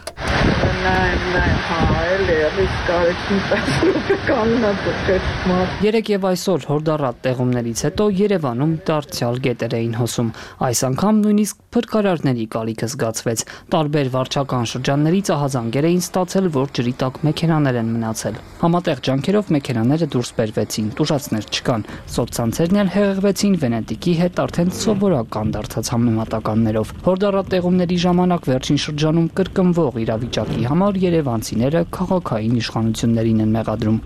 Երեկ եւ այսօր հորդառատ տեղումներից հետո Երևանում դարձյալ գետեր էին հոսում։ Այս անգամ նույնիսկ փրկարարների կալիքը զգացվեց։ Տարբեր վարչական շրջաններից ահազանգեր էին ստացել, որ ջրի տակ մեքենաներ են մնացել։ Համատեղ ջանքերով մեքենաները դուրս բերվեցին, տուժածներ չկան։ Սոցցանցերն էլ հեղեղվեցին Վենետիկի հետ արդեն սովորական դարձած համեմատականներով։ Հորդառատ տեղումների ժամանակ վերջին շրջանում կրկնվող իրավիճակի համար երևանցիները քաղաքային իշխանություններին են մեղադրում։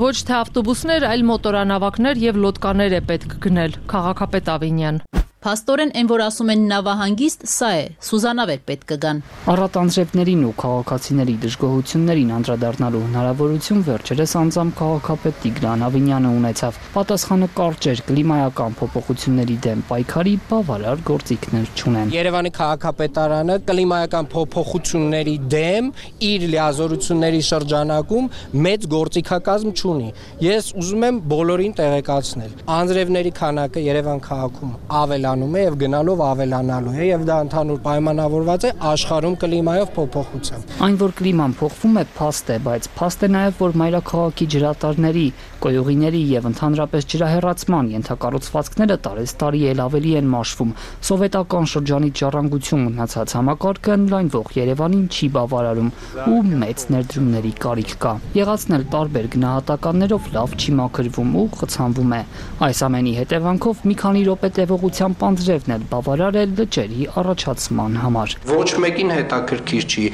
Ոչ թե ավտոբուսներ, այլ մոտորանավակներ եւ լոդկաներ է պետք գնել, քաղաքապետ Ավինյան։ Փաստորեն այն, որ ասում են նավահանգիստ, սա է, Սուզանավեր պետք կգան։ Առատ անձրևներին ու քաղաքացիների դժգոհություններին անդրադառնալու հնարավորություն վերջերս անձամբ քաղաքապետ Տիգրան Ավինյանը ունեցավ։ Պատասխանը կարճ էր, կլիմայական փոփոխությունների դեմ պայքարի բավարար գործիքներ չունեն։ Երևանի քաղաքապետարանը կլիմայական փոփոխությունների դեմ իր լիազորությունների շրջանակում մեծ գործիքակազմ չունի։ Ես ուզում եմ բոլորին տեղեկացնել։ Անձրևների քանակը Երևան քաղաքում ավելանում է եւ գնալով ավելանալու է եւ դա ընդհանուր պայմանավորված է աշխարհում կլիմայով փոփոխությամբ։ Այն, որ կլիման փոխվում է, փաստ է, բայց փաստ է նաեւ, որ մայրաքաղաքի ջրատարների, կոյուղիների եւ ընդհանրապես ջրահեռացման ենթակառուցվածքները տարեստարի էլ ավելի են մաշվում։ Սովետական շրջանից ժառանգություն մնացած համակարգը ընդլայնվող Երևանին չի բավարարում ու մեծ ներդրումների կարիք կա։ Եղածնել տարբեր գնահատականներով լավ չի մաքրվում ու խցանվում է։ Այս ամենի հետևանքով մի քանի րոպե տևողությամբ անձրևն էլ բավարար է լճերի առաջացման համար։ Ոչ մեկին հետաքրքիր չի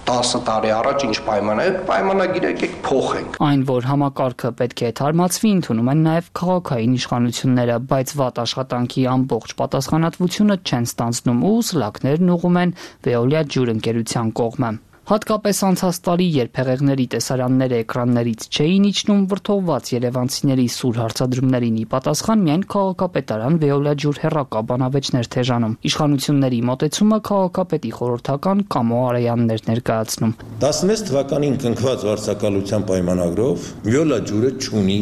տասը տարի առաջ ինչ պայման է, պայմանագիրը եկեք փոխենք։ Այն, որ համակարգը պետք է թարմացվի, ընդունում են նաև քաղաքային իշխանությունները, բայց վատ աշխատանքի ամբողջ պատասխանատվությունը չեն ստանձնում ու սլաքներն ուղղում են Veolia ջուրընկերության կողմը։ Հատկապես անցած տարի, երբ հեղեղների տեսարանները էկրաններից չէին իջնում, վրդովված երևանցիների սուր հարցադրումներին ի պատասխան միայն քաղաքապետարան Veolia ջուր հեռակա բանավեճներ թեժանում։ Իշխանությունների մոտեցումը քաղաքապետի խորհրդական Կամո Արայանն էր ներկայացնում։ տասնվեց թվականին կնքված վարձակալության պայմանագրով Veolia ջուրը չունի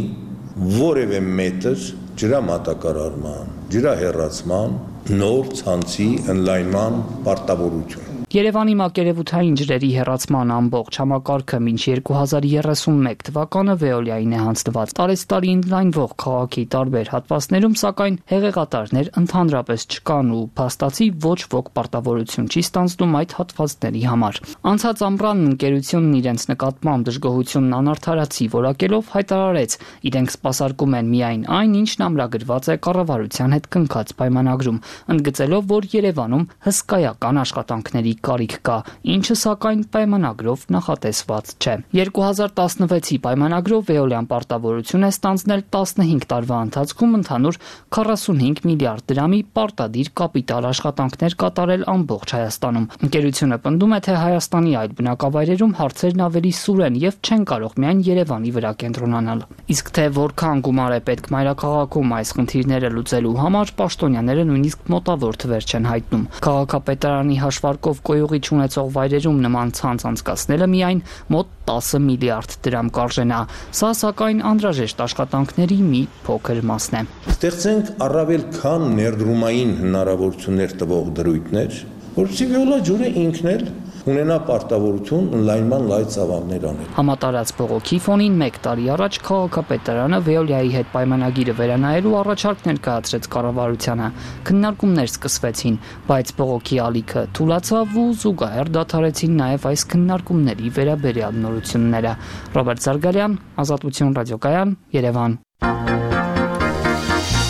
որևէ մետր ջրամատակարարման, ջրահեռացման, նոր ցանցի ընդլայնման պարտավորություն։ Երևանի մակերևութային ջրերի հեռացման ամբողջ համակարգը մինչ երկու հազար երեսունմեկ թվականը Veolia-ին է հանձնված։ Տարեցտարի ընդլայնվող քաղաքի տարբեր հատվածներում, սակայն հեղեղատարներ ընդհանրապես չկան ու փաստացի ոչ ոք պարտավորություն չի ստանձնում այդ հատվածների համար։ Անցած ամռան ընկերությունն իրենց նկատմամբ դժգոհությունն անարդարացի որակելով հայտարարեց, իրենք սպասարկում են միայն այն, ինչն ամրագրված է կառավարության հետ կնքած պայմանագրում, ընդգծելով, որ Երևանում հսկայական աշխատանքների կարիք կա, ինչը սակայն պայմանագրով նախատեսված չէ։ երկու հազար տասնվեցի պայմանագրով Veolia-ն պարտավորություն է ստանձնել տասնհինգ տարվա ընթացքում ընդհանուր քառասունհինգ միլիարդ դրամի պարտադիր կապիտալ աշխատանքներ կատարել ամբողջ Հայաստանում։ Ընկերությունը պնդում է, թե Հայաստանի այլ բնակավայրերում հարցերն ավելի սուր են եւ չեն կարող միայն Երևանի վրա կենտրոնանալ։ Իսկ թե որքան գումար է պետք մայրաքաղաքում այս խնդիրները լուծելու համար, պաշտոնյաները նույնիսկ մոտավոր թվեր չեն հայտնում։ Քաղաքապետարանի հաշվարկով կոյուղի չունեցող վայրերում նման ցանց անցկացնելը միայն մոտ տասը միլիարդ դրամ կարժենա։ Սա սակայն անհրաժեշտ աշխատանքների մի փոքր մասն է։ Ստեղծենք առավել քան ներդրումային հնարավորություններ տվող դրույթներ, որովհետև Veolia ջուրը ինքն էլ ունենա պարտավորություն ընդլայնման լայ ծավալներ անել։ Համատարած բողոքի ֆոնին մեկ տարի առաջ քաղաքապետարանը Veolia-ի հետ պայմանագիրը վերանայելու առաջարկ ներկայացրեց կառավարությանը։ Քննարկումներ սկսվեցին, բայց բողոքի ալիքը թուլացավ ու զուգահեռ դադարեցին նաև այս քննարկումների վերաբերյալ նորությունները։ Ռոբերտ Զարգարյան, Ազատություն ռադիոկայան, Երևան։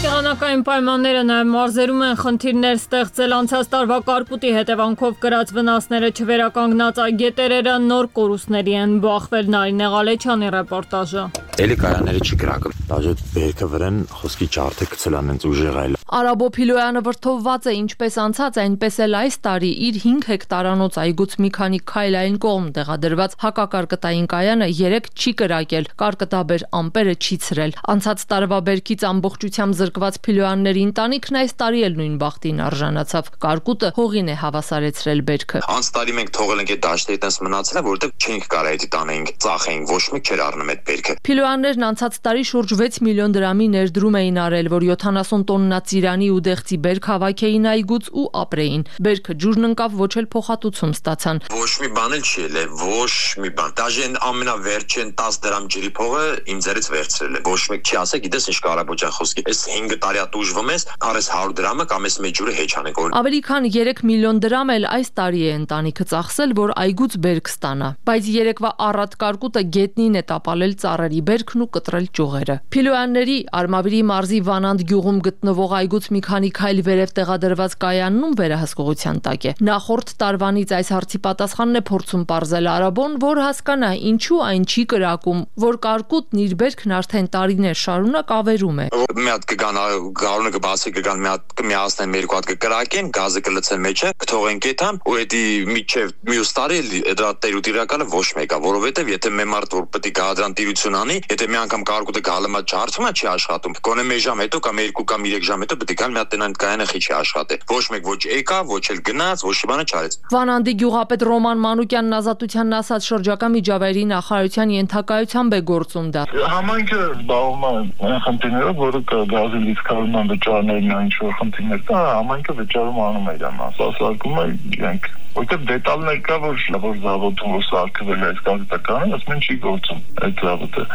Եղանակային պայմանները նաև մարզերում են խնդիրներ ստեղծել անցած տարվա կարկուտի հետևանքով կրած վնասները չվերականգնած այգետերերը նոր կորուստների են բախվել։ Նարինե Ղալեչյանի ռեպորտաժը։ Էլի կայանները չի կրակը, դաժե բերքը վրան խոսքի ճարդը գցելան են ուժեղ այլ։ Արաբո Փիլոյանը վրթովված է ինչպես անցած, այնպես էլ այս տարի իր հինգ հեկտարանոց այգուց մի քանի քայլ այն կողմ տեղադրված հակակարկտային կայանը երեք չի կրակել, կարկտաբեր ամպերը չի ցրել։ Անցած տարվա բերքից ամբողջությամբ զրկված Փիլոյանների ընտանիքն այս տարի էլ նույն բախտին արժանացավ։ Կարկուտը հողին է հավասարեցրել բերքը։ Անց տարի մենք թողել ենք այդ դաշտերի տես մնացել է, որովհետև չենք կարող այդ տանենք, ծախենք, ոչ մեկ չէր առնում այդ բերքը։ Փիլոյաններն անցած տարի շուրջ վեց միլիոն դրամի ներդրում էին արել, որ յոթանասուն տոննա ծիրանի ու դեղցի բերք հավաքեին այգուց ու ապրեին։ Բերքը ջուրն ընկավ, ոչ էլ փոխհատուցում ստացան։ Ոչ մի բան էլ չի ելել, ոչ մի բան։ Դաժե այն ամենավերջին տասը դրամ ջրի փողը իմ ձեռից վերցրել է։ Ոչ մեկ չի ասել, գիտես ինչ կարաբոջան խոսքի։ Այս հինգ տարի ատուժվում ես, արես հարյուր դրամը կամ այս մեծ ջուրը հեչ անենք։ Ավելի քան երեք միլիոն դրամ էլ այս տարի է ընտանիքը ծախսել, որ այգուց բերք ստանա։ Բայց երեկվա առատ կարկուտը գետնին է տապալել ծառերի բերքն ու կտրել ճյուղերը։ Փիլոյանների Արմավիրի մարզի Վանանդ գյուղում գտնվող այգուց մի քանի քայլ վերև տեղադրված կայաննում վերահսկողության տակ է։ Նախորդ տարվանից այս հարցի պատասխանն է փորձում պարզել Արաբոն, որ հասկանա ինչու այն չի կրակում, որ կարկուտն իր բերքն արդեն տարիներ շարունակ ավերում է։ Մի հատ կգան գարունը կբացի կգան մի հատ կմիացնեն մի երկու հատ կկրակեն, գազը կլցեն մեջը, կթողեն կետան ու էդի միջև մյուս տարի դրա տերուտ իրականը ոչ մեկա, որովհետև եթե մի մարդ որ պետք է գադրան տիրություն անի, եթե մի անգամ կարկուտը գալմա չարծում է չի աշխատում։ Գոնե մի ժամ հետո կամ երկու կամ երեք ժամ հետո պետք է գալ մի հատ տնան կայանը խիչի աշխատի։ Ոչ մեկ ոչ եկա, ոչ էլ գնաց, ոչ մի բան չարեց։ Վանանդի գյուղապետ Ռոման Մանուկյանն Ազատությանն ասաց շրջակա միջավայրի նախարարության ենթակայությամբ է գործում դա։ Համայնքը զբաղվում է այն խնդիրներով, որը գազի լիցքավորման վճարներն այն ինչ որ խնդիրներ կա, համայնքը վճարում անում է իրան, սպասարկում է իրենք։ Որտեղ դետալներ կա, որ որ զավոդում որ սարքվել է այս կարգտականը, ասում են չի գործում այդ զավոդը։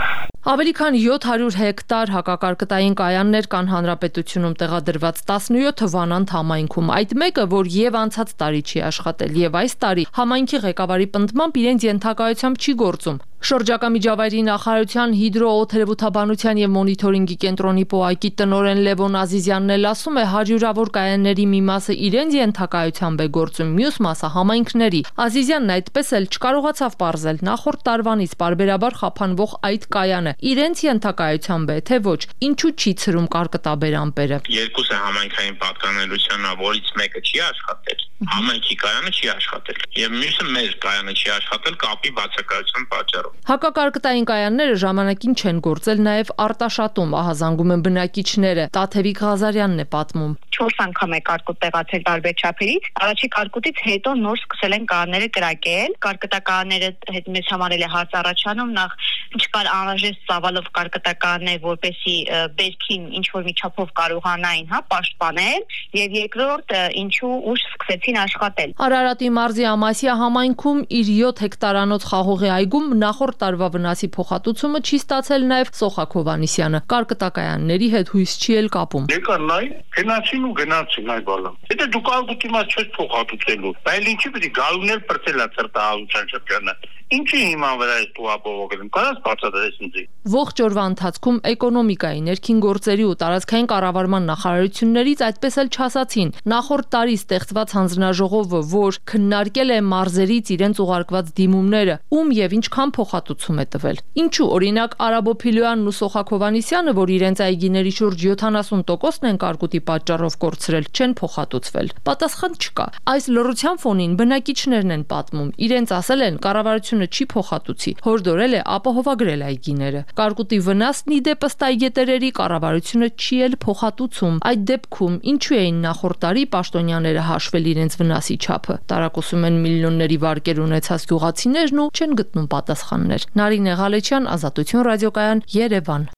Ավելի քան յոթ հարյուր հեկտար հակակարկտային կայաններ կան հանրապետությունում տեղադրված տասնյոթը Վանանդ համայնքում։ Այդ մեկը, որ եւ անցած տարի չի աշխատել, եւ այս տարի համայնքի ղեկավարի պնդմամբ իրենց ենթակայությամբ չի գործում։ Շրջակա միջավայրի նախարարության հիդրոօթերևութաբանության եւ մոնիթորինգի կենտրոնի պոակի տնօրեն Լևոն Ազիզյանն էլ ասում է, հարյուրավոր կայանների մի մասը իրենց ենթակայությամբ է գործում, մյուս մասը համայնքների։ Ազիզյանն այդպես էլ չկարողացավ պարզել նախորդ տարվանից պարբերաբար խափանվող այդ կայանը իրենց ենթակայությամբ է, թե ոչ, ինչու չի ցրում կարկտաբեր ամպերը։ Երկուսը համայնքային պատկանելության, որից մեկը չի աշխատել, համայնքի կայանը չի աշխատել, եւ մյուսը մեր կայանը չի աշխատել կապի բացակայության պատճառով։ Հակակարկտային կայանները ժամանակին չեն գործել նաև Արտաշատում, ահազանգում են բնակիչները։ Տաթևիկ Ղազարյանն է պատմում։ Չորս անգամ է կարկուտ տեղացել տարբեր չափերից։ Առաջի կարկուտից հետո նոր սկսել են կայանները կրակել։ Կարկտականները հետ մեզ համարել է հարց առաջանում, նախ չկար անհրաժեշտ ծավալով կարկտականներ, որպեսի բերքին ինչ որ մի չափով կարողանային, հա, պաշտպանել, եւ երկրորդ ինչու ուշ սկսեցին սկսեցին աշխատել։ Արարատի մարզի Ամասիա համայնքում իր յոթ հեկտարանոց խաղողի այգում նախորդ տարվա վնասի փոխհատուցումը չի ստացել նաև Սոխակ Հովհաննիսյանը։ Կարկտակայանների հետ հույս չի էլ կապում։ Եկա նայ, գնացին ու գնացին այ բալա։ Եթե դու կարգուտի մաս չես փոխհատուցելու, բայց ինչի՞ պետք է գալուներ բրցելա ծրտահարության շրջանը։ Ինչի հիմա վրա է դու ապողոքել, կարաս բացատրես ինձ։ Ողջ օրվա ընթացքում էկոնոմիկայի, ներքին գործերի ու տարածքային կառավարման նախարարություններից այդպես էլ չասացին։ Նախորդ տարի ստեղծված հանձնաժողովը, որ քննարկել է մարզերից իրենց ուղարկված դիմումները, ում եւ ինչքան փոխհատուցում է տվել։ Ինչու, օրինակ, Արաբո Փիլոյանն ու Սոխակ Հովհաննիսյանը, որ իրենց այգիների շուրջ յոթանասուն տոկոսն են կարկուտի պատճառով կորցրել, չեն փոխհատուցվել։ Պատասխան չկա։ Այս լռության ֆոնին բնակիչներն են պատմում, իրենց ասել են կառավարությունը չի փոխհատուցի, հորդորել է ապահովագրել այգիները։ Կարկուտի վնասն ի դեպ ըստ այգետերերի կառավարությունը չի էլ փոխհատուցում։ Այդ դեպքում ինչու էին նախորդ տարի պաշտոնյաները հաշվել իրենց վնասի չափը։ Տարակուսում են միլիոնների վարկեր ունեցած գյուղացիներն ու չեն գտնում պատասխաններ։ Նարինե Ղալեչյան, Ազատություն ռադիոկայան, Երևան։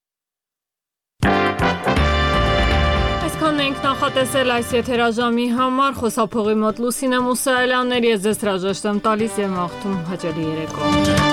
Այսքանն ենք նախատեսել այս եթերաժամի համար, խոսափողի մոտ Լուսինե Մուսայելյաններ, ես ձեզ հրաժեշտ եմ տալիս եւ մաղթում հաճելի երեկո։